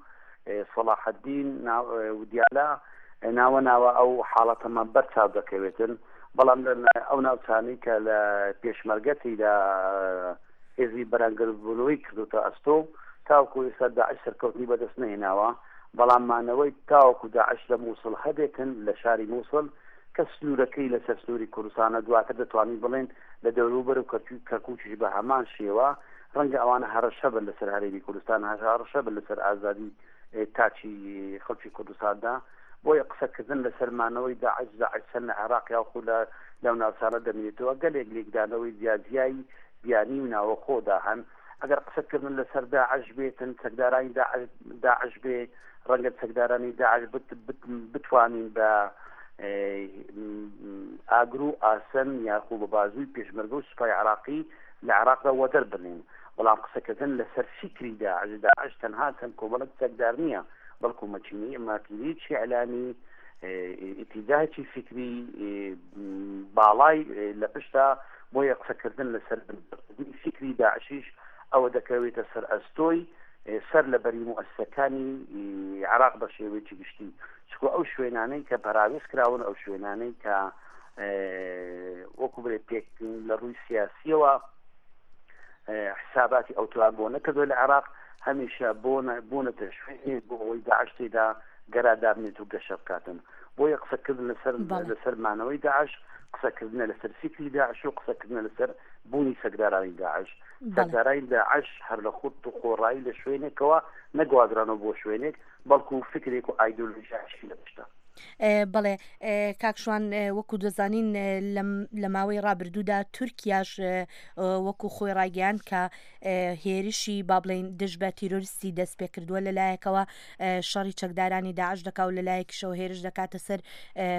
سەڵاحەدین و دیالە ناوە ناوە ئەو حاڵەتەمان بەر چاو دەکەوێتن. بەڵام ئەو ناوچانەی کە لە پێشمەرگە تێیدا هێزی بەرەنگربوونەوەی کردوتە ئەستۆ تاوەکو ئێستا داعش سەرکەوتنی بەدەست نەهێناوە، بەڵام مانەوەی تاوەکو داعش لە موسڵ هەبێتن لە شاری موسڵ کە سنوورەکەی لەسەر سنووری کوردستانە دواتر دەتوانین بڵێن لە دەوروبەر و کەرکووکیش بە هەمان شێوە ڕەنگە ئەوانە هەڕەشە بن لەسەر هەرێمی کوردستان هەڕەشە بن لەسەر ئازادی تاکی خەڵکی کوردستاندا بۆیە قسەکردن لەسەر مانەوەی داعش داعش چەند لە عێراق یاخو لە لەو ناوچانە دەمێنێتەوە گەلێک لێکدانەوەی جیاجیای بیانی و ناوەخۆدا هەن ئەگەر قسەکردن لەسەر داعش بێتن چەکدارانی داعش داعش بێ ڕەنگە چەکدارانی داعش بتوانین بە ئاگر و ئاسن یاخو بە بازووی پێشمەرگە و سوپای عراقی لە عراقدا وەدەر بنێن بەڵام قسەکردن لەسەر فیکری داعش داعش تەنها چەند کۆمەڵک چەکدار نییە بەڵکو مەکینەی ماکینەیەکی ئیعلامی ئیتیجاهێکی فیکری باڵای لە پشتە بۆیە قسەکردن لەسەر بنبڕکردنی فیکری داعشیش ئەوە دەکەوێتە سەر ئەستۆی سەر لە بەری موئەسسەکانی عێراق بە شێوەیەکی گشتی چکو ئەو شوێنانەی کە پەراوێز کراون ئەو شوێنانەی کە وەکو بڵێ پێک لە ڕووی سیاسیەوە حساباتی ئەوتوان بۆ نەکردووە لە عێراق هەمیشە بۆنەتە شوێنێک بۆ ئەوەی داعش تێدا گەرا دابنێت و گەشە بکاتن بۆیە قسەکردن لەسەر لەسەر مانەوەی داعش قسەکردنە لەسەر فیکری داعش و قسەکردنە لەسەر بوونی چەکدارانی داعش چەکدارانی داعش هەر لە خود و خۆڕایی لە شوێنێکەوە نەگوازرانەوە بۆ شوێنێک بەڵکو فکرێک و ئایدۆلۆژیاشی لە پشتە. بەڵێ کاک شوان وەکو دەزانین لە ماوەی ڕابردوودا تورکیاش وەکو خۆی ڕایگەیاند کە هێرشی با بڵێین دژ بە تیرۆریستی دەست پێ کردووە لەلایەکەوە شەڕی چەکدارانی داعش دەکا و لەلایەکیشەوە هێرش دەکاتە سەر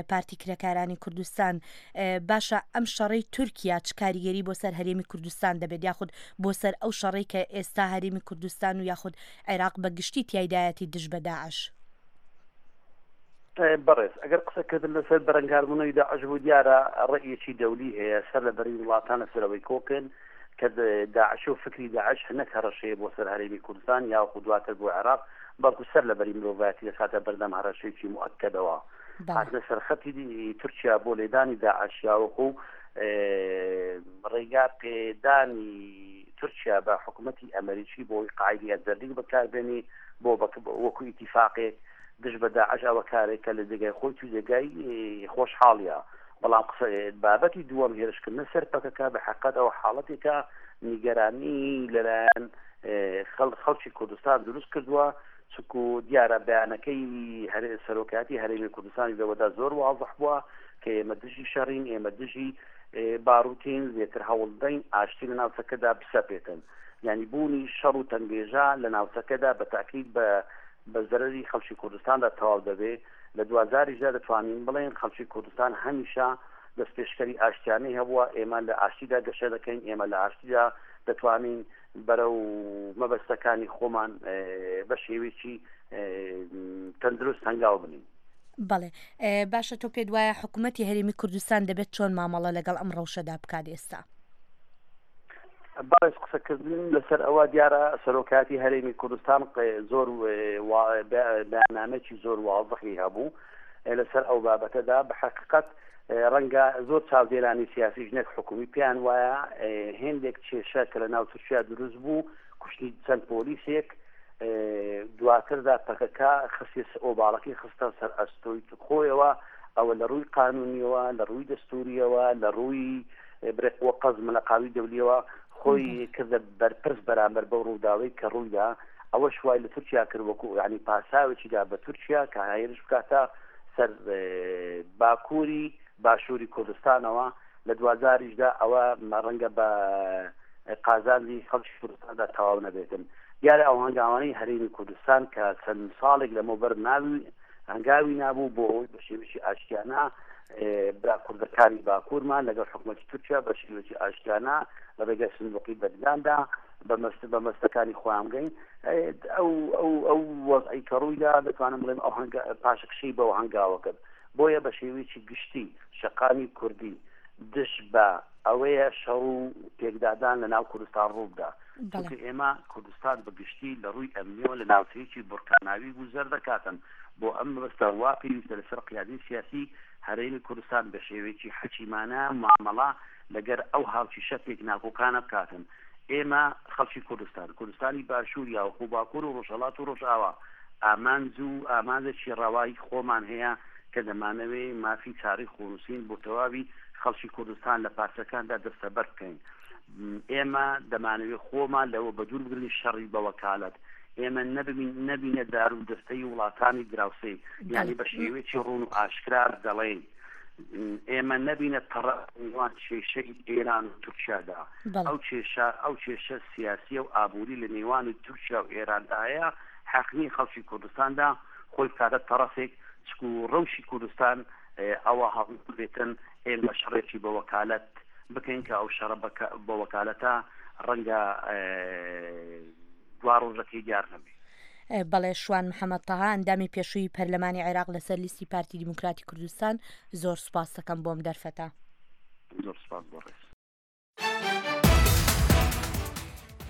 پارتی کرێکارانی کوردستان باشە ئەم شەڕەی تورکیا چ کاریگەری بۆ سەر هەرێمی کوردستان دەبێت یاخود بۆ سەر ئەو شەڕەی کە ئێستا هەرێمی کوردستان و یاخود عێراق بە گشتی تیایدایەتی دژ بە داعش؟ بەڕێز ئەگەر قسەکردن لەسەر بەرەنگاربوونەوەی داعش بوو دیارە ڕەئیەکی دەولی هەیە سەر لە بەری وڵاتان لەسەر ئەوەی کۆکن کە داعش و فکری داعش نەک هەڕەشەیە بۆ سەر هەرێمی کوردستان یاخود دواتر بۆ عێراق بەڵکو سەر لە بەری مرۆڤایەتی دەخاتە بەردەم هەڕەشەیەکی موئەکەدەوە هاتنە سەرخەتی تورکیا بۆ لێدانی داعش یاوەخو ڕێگا پێدانی تورکیا بە حکوومەتی ئەمریکی بۆی قاعدی ئەزەردیک بەکاربێنی بۆ وەکو ئیتیفاقێک دژ بە داعش ئەوە کارێکە لە جێگای خۆی تو جێگای خۆشحاڵیە بەڵام قسە بابەتی دووەم هێرشکردنە سەر پەکەکە بە حقت ئەوە حاڵەتێکە نیگەرانی لەلایەن خەڵکی کوردستان دروست کردووە چکو دیارە بەیانەکەی سەرۆکاتی هەرێمی کوردستانی لەوەدا زۆر وازح بووە کە ئێمە دژی شەڕین ئێمە دژی باروتین زیاتر هەوڵدەین ئاشتی لە ناوچەکەدا بسەپێتن یعنی بوونی شەڕ و تەنگێژە لە ناوچەکەدا بە تاکید بە بە زەرەری خەڵکی کوردستاندا تەواو دەبێ، لە دواجاریشدا دەتوانین بڵێین خەڵکی کوردستان هەمیشە دەستپێشکەری ئاشتیانەی هەبووە، ئێمە لە ئاشتیدا گەشە دەکەین، ئێمە لە ئاشتیدا دەتوانین بەرەو مەبەستەکانی خۆمان بە شێوەیەکی تەندروست هەنگاو بنێین. بەڵێ باشە تۆ پێت وایە حکوومەتی هەرێمی کوردستان دەبێت چۆن مامەڵە لەگەڵ ئەم ڕەوشەدا بکات ئێستا؟ بەڕێز قسەکردن لەسەر ئەوە دیارە سەرۆکایەتی هەرێمی کوردستان زۆر بەیاننامەیەکی زۆر وازحی هەبوو لەسەر ئەو بابەتەدا بە حەقیقەت ڕەنگە زۆر چاودێرانی سیاسیش نەک حکومی پێیان وایە هێندێک کێشە کە لە ناو تورکیا دروست بوو کوشتنی چەند پۆلیسێک دواتردا پەکەکە خستێ ئۆباڵەکەی خستە سەر ئەستۆی خۆیەوە ئەوە لە ڕووی قانونیەوە لە ڕووی دەستوریەوە لە ڕووی برێک وە قەز ملەقاوی دەولیەوە خۆی کردە بەرپرس بەرامبەر بەو ڕووداوەی کە ڕوویدا ئەوەش وای لە تورکیا کرد وەکو یعنی پاساوێکی دا بە تورکیا کە هێرش بکاتە سەر باکووری باشووری کوردستانەوە لە دواجاریشدا ئەوە ڕەنگە بە قازانجی خەڵکی کوردستاندا تەواو نەبێتن دیارە ئەو هەنگاوانەی هەرێمی کوردستان کە چەند ساڵێک لەمەوبەر ناوی هەنگاوی نابوو بۆ ئەوەی بە شێوەیەکی ئاشتیانە برا کوردەکانی باکوورمان لەگەڵ حکوومەتی تورکیا بە شێوەیەکی ئاشتیانە لە ڕێگای سندوقی بەدگاندا بە مەستەکانی خۆیان بگەین ئەو ئەو ئەو وەزعی کە ڕوویدا دەتوانم بڵێم ئەو هەنگا پاشەکشەی بەو هەنگاوە کرد بۆیە بە شێوەیەکی گشتی شەقامی کوردی دژ بە ئەوەیە شەڕ و پێکدادان لە ناو کوردستان ڕووبدا. چونکە ئێمە کوردستان بە گشتی لە ڕووی ئەمنیەوە لە ناوچەیەکی بورکاناوی گوزەر دەکاتن، بۆ ئەم مەبەستە وا پێویستە لەسەر قیادەی سیاسی هەرێمی کوردستان بە شێوەیەکی حەکیمانە مامەڵە لەگەر ئەو هاوکیشە پێکناکۆکانە بکاتن. ئێمە خەڵکی کوردستان، کوردستانی باشوور یاوخو باکوور و ڕۆژهەڵات و ڕۆژئاوا، ئامانج و ئامانجێکی ڕەوای خۆمان هەیە کە دەمانەوێ مافی چارەی خۆنووسین بۆ تەواوی خەڵکی کوردستان لە پارچەکاندا دەستەبەر بکەین. ئێمە دەمانەوێ خۆمان لەوە بەدوور بگرین شەڕی بە وەکالەت ئێمە نەبین نەبینە دار و دەستەی وڵاتانی دراوسێ یانی بە شێوەیەکی ڕوون و ئاشکرا دەڵێین ئێمە نەبینە تەڕە نێوان کێشەی ئێران و تورکیادا ئەو کێشە ئەو کێشە سیاسیە و ئابووری لە نێوانی تورکیا و ئێراندا هەیە حەق نییە خەڵکی کوردستاندا خۆی بکاتە تەڕەفێک چکو ڕەوشی کوردستان ئەوە هەڵبێتن ئێمە شەڕێکی بە وەکالەت بکەین کە ئەو شەڕە بە وەکالەتە ڕەنگە دوا ڕۆژەکەی دیار نەبێ. بەڵێ شوان محەمەد تەها ئەندامی پێشووی پەرلەمانی عێراق لەسەر لیستی پارتی دیموکراتی کوردستان زۆر سوپاست دەکەم بۆم دەرفەتە. زۆر سوپاس بۆ ڕێز.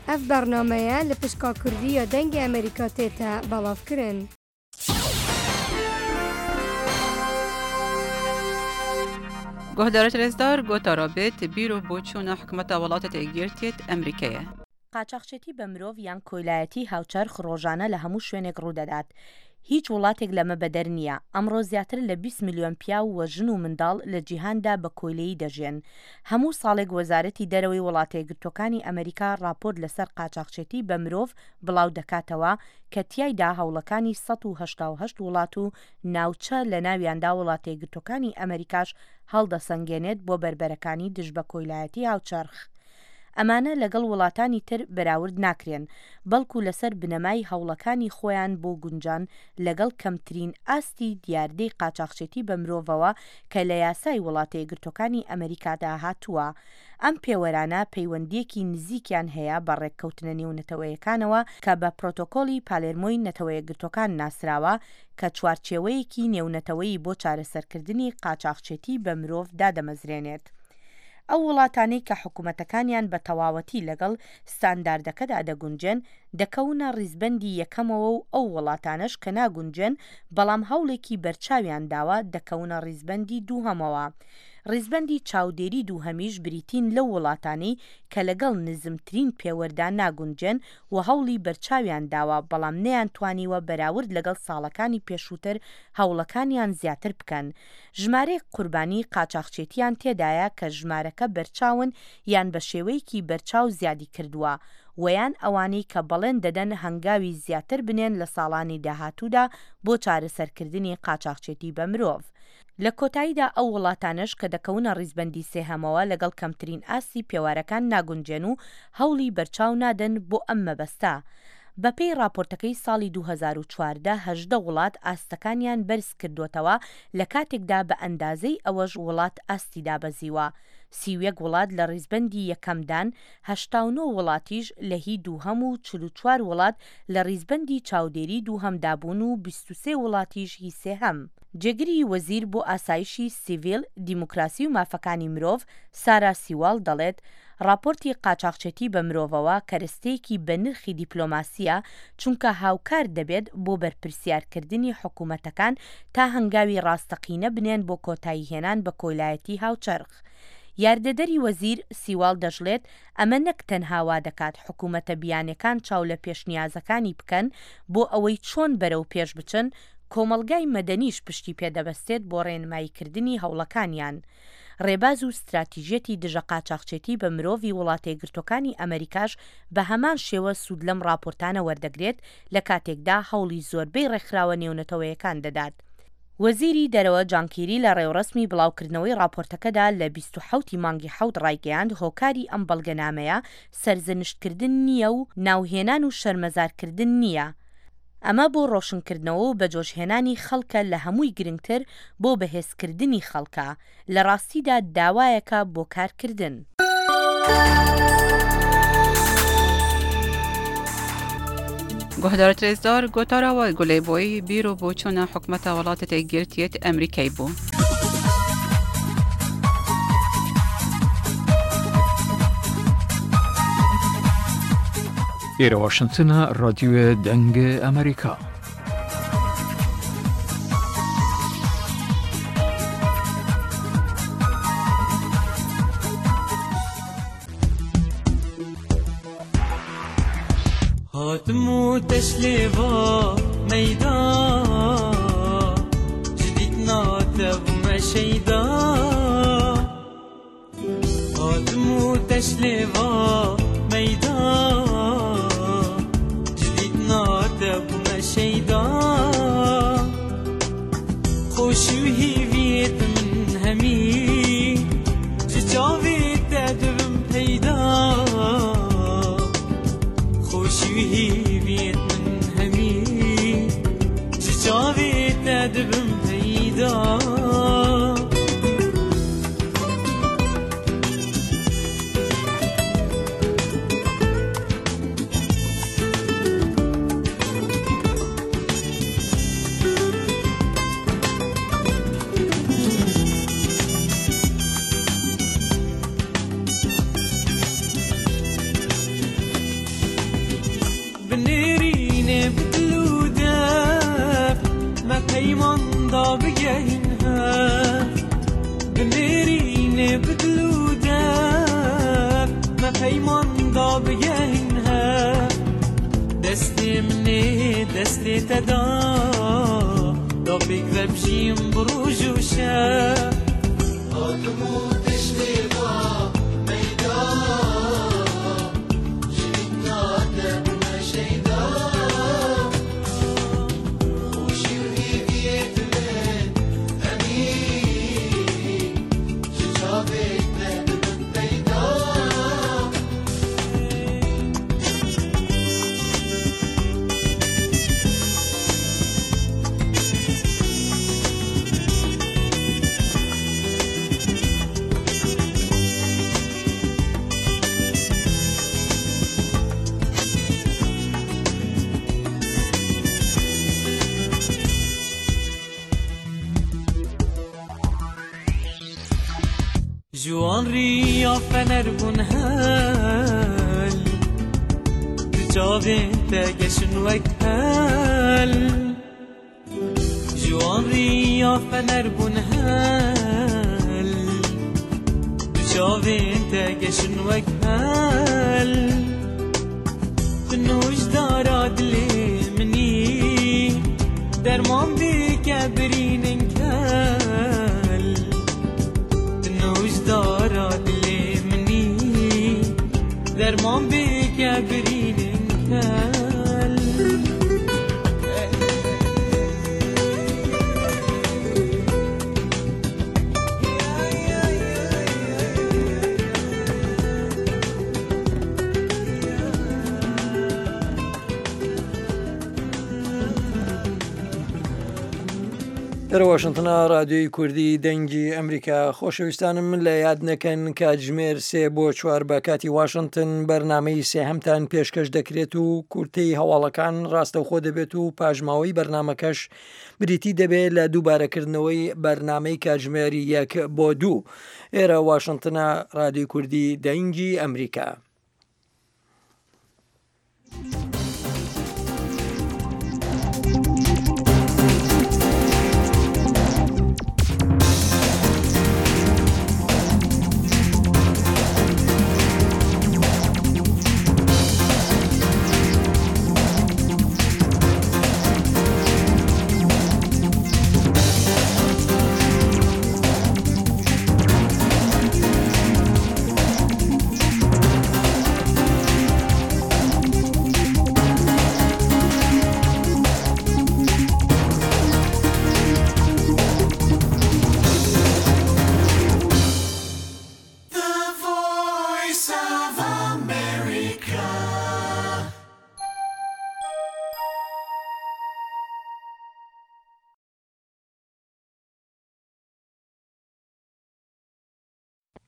ئەڤ بەرنامەیە لە پشکا کوردی یا دەنگێ ئەمریکا تێتە بەڵاڤ کرن. گۆهدارت رێزدار گۆتارا بێت بیر و بۆچوونە حکومەتە وڵاتە یەکگرتیت ئەمریکەیە. قاچاخچێتی بە مرۆڤ یان کۆیلایەتی هاوچەرخ ڕۆژانە لە هەموو شوێنێک ڕوودەدات. هیچ وڵاتێک لەمە بەدەر نییە. ئەمڕۆ زیاتر لە 20 ملیۆن پیاو و ژن و منداڵ لە جیهاندا بە کۆیلەیی دەژیێن. هەموو ساڵێک وەزارەتی دەرەوەی وڵاتەیەکگرتووەکانی ئەمەریکا ڕاپۆرت لەسەر قاچاخچێتی بە مرۆڤ بڵاو دەکاتەوە کە تیایدا هەوڵەکانی 188 وڵات و ناوچە لەناویاندا وڵاتەیەکگرتووەکانی ئەمەریکاش هەڵدەسەنگێنێت بۆ بەربەرەکانی دژ بە کۆیلایەتی هاوچەرخ. ئەمانە لەگەڵ وڵاتانی تر بەراورد ناکرێن، بەڵکو لەسەر بنەمای هەوڵەکانی خۆیان بۆ گونجان لەگەڵ کەمترین ئاستی دیاردەی قاچاخچێتی بە مرۆڤەوە کە لە یاسای وڵاتەیەکگرتوەکانی ئەمەریکادا هاتووە. ئەم پێوەرانە پەیوەندییەکی نزیکیان هەیە بە ڕێککەوتنە نێونەتەوەیەکانەوە کە بە پرۆتۆکۆلی پالێرمۆی نەتەوەیەکگرتوەکان ناسراوە کە چوارچێوەیەکی نێونەتەوەیی بۆ چارەسەرکردنی قاچاخچێتی بە مرۆڤ دادەمەزرێنێت. ئەو وڵاتانەی کە حکومەتەکانیان بە تەواوەتی لەگەڵ ستانداردەکەدا دەگونجێن، دەکەونە ڕیزبەندی یەکەمەوە و ئەو وڵاتانەش کە ناگونجێن بەڵام هەوڵێکی بەرچاویان داوە، دەکەونە ڕیزبەندی دووهەمەوە. ڕیزبەندی چاودێری دووهەمیش بریتین لەو وڵاتانەی کە لەگەڵ نزمترین پێوەردا ناگونجێن و هەوڵی بەرچاویان داوە بەڵام نەیانتوانیوە بەراورد لەگەڵ ساڵەکانی پێشووتر هەوڵەکانیان زیاتر بکەن. ژمارەیەک قوربانی قاچاخچێتیان تێدایە کە ژمارەکە بەرچاون یان بە شێوەیەکی بەرچاو زیادی کردووە وەیان ئەوانەی کە بەڵێن دەدەن هەنگاوی زیاتر بنێن لە ساڵانی داهاتوودا بۆ چارەسەرکردنی قاچاخچێتی بە مرۆڤ. لە کۆتاییدا ئەو وڵاتانەش کە دەکەونە ڕیزبەندی سێهەمەوە لەگەڵ کەمترین ئاستی پێوارەکان ناگونجێن و هەوڵی بەرچاو نادەن بۆ ئەم مەبەستە. بەپێی ڕاپۆرتەکەی ساڵی 2014 18 وڵات ئاستەکانیان بەرز کردۆتەوە لە کاتێکدا بە ئەندازەی ئەوەش وڵات ئاستی دابەزیوە. 31 وڵات لە ڕیزبەندی یەکەمدان، 89 وڵاتیش لە هی دووهەم و 44 وڵات لە ڕیزبەندی چاودێری دووهەمدا بوون و 23 وڵاتیش هی سێهەم. جێگری وەزیر بۆ ئاسایشی سیڤیل، دیموکراسی و مافەکانی مرۆڤ، سارا سیواڵ دەڵێت، ڕاپۆرتی قاچاخچێتی بە مرۆڤەوە کەرستەیەکی بەنرخی دیپلۆماسییە، چونکە هاوکار دەبێت بۆ بەرپرسیارکردنی حکومەتەکان تا هەنگاوی ڕاستەقینە بنێن بۆ کۆتاییهێنان بە کۆیلایەتی هاوچەرخ. یاردەدەری وەزیر سیواڵ دەشڵێت، ئەمە نەک تەنها وادەکات حکومەتە بیانەکان چاو لە پێشنیازەکانی بکەن بۆ ئەوەی چۆن بەرەو پێش بچن، کۆمەڵگای مەدەنیش پشتی پێدەبەستێت بۆ ڕێنماییکردنی هەوڵەکانیان. ڕێباز و ستراتیژیەتی دژە قاچاخچێتی بە مرۆڤی وڵاتەیەکگرتوەکانی ئەمەریکاش بە هەمان شێوە سوود لەم ڕاپۆرتانە وەردەگرێت لە کاتێکدا هەوڵی زۆربەی ڕێکخراوە نێونەتەوەیەکان دەدات. وەزیری دەرەوە جان کیری لە ڕێوڕەسمی بڵاوکردنەوەی ڕاپۆرتەکەدا لە 27 ی مانگی حەوت ڕایگەیاند هۆکاری ئەم بەڵگەنامەیە سەرزەنشتکردن نییە و ناوهێنان و شەرمەزارکردن نییە، ئەمە بۆ ڕۆشنکردنەوە و بەجۆشهێنانی خەڵکە لە هەمووی گرنگتر بۆ بەهێزکردنی خەڵکە، لە ڕاستیدا داوایەکە بۆ کارکردن. گۆهدارت رێزدار گۆتارا وە گولەی بۆی بیر و بۆچوونە حکومەتە وڵاتە یەکگرتیەت ئەمریکای بوو. ئێرە واشنتنە، ڕادیۆێ دەنگێ ئەمریکا. هاتم و تەشلێڤا مەیدا جدیت ناتەبوومە شەیدا هاتم و تەشلێڤا مەیدا جدیت ناتەبوومە شەیدا خۆشی و هیڤیت من هەمی ji چاوێ te dibim peyda خۆشی و هیڤیت من هەمی ji چاوێ te dibim peyda بنێرینێ بدل و دەف me peyman da bigehin hev بنێرینێ بدل و دەف me peyman da bigehin hev دەستێ منێ دەستێ te da da pêk ve bijîm bi roj û şev هاتم و تشلێڤا مەیدا جدیت ناتەبوومە شەیدا خۆشی و هیڤیت من هەمی ji çavê te dibim peyda جوان ریا فەنەر بوون هەل Du çavên te geşin wek pel Ji wan riya fener bûn hel Du çavên te geşin wek pel Tu nûjdara dilê minî Derman bike birînin kel Tu nûjdara dilê minî Derman bike birînin kel لە واشنتنا رادیۆی کوردی دەنگی ئەمریکا. خۆشەویستانم من لە یاد نەکەن کاتژمێر سێ بۆ چوار بە کاتی واشنتن بەرنامەی سێهەمتان پێشکەش دەکرێت و کورتەی هەواڵەکان ڕاستەوخۆ دەبێت و پاشماوەی بەرنامەکەش بریتی دەبێت لە دووبارەکردنەوەی بەرنامەی کاتژمێری یەک بۆ دوو. ئێرە واشنتنە رادیۆی کوردی دەنگی ئەمریکا. The voice of America.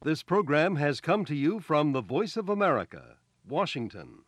This program has come to you from the Voice of America, Washington.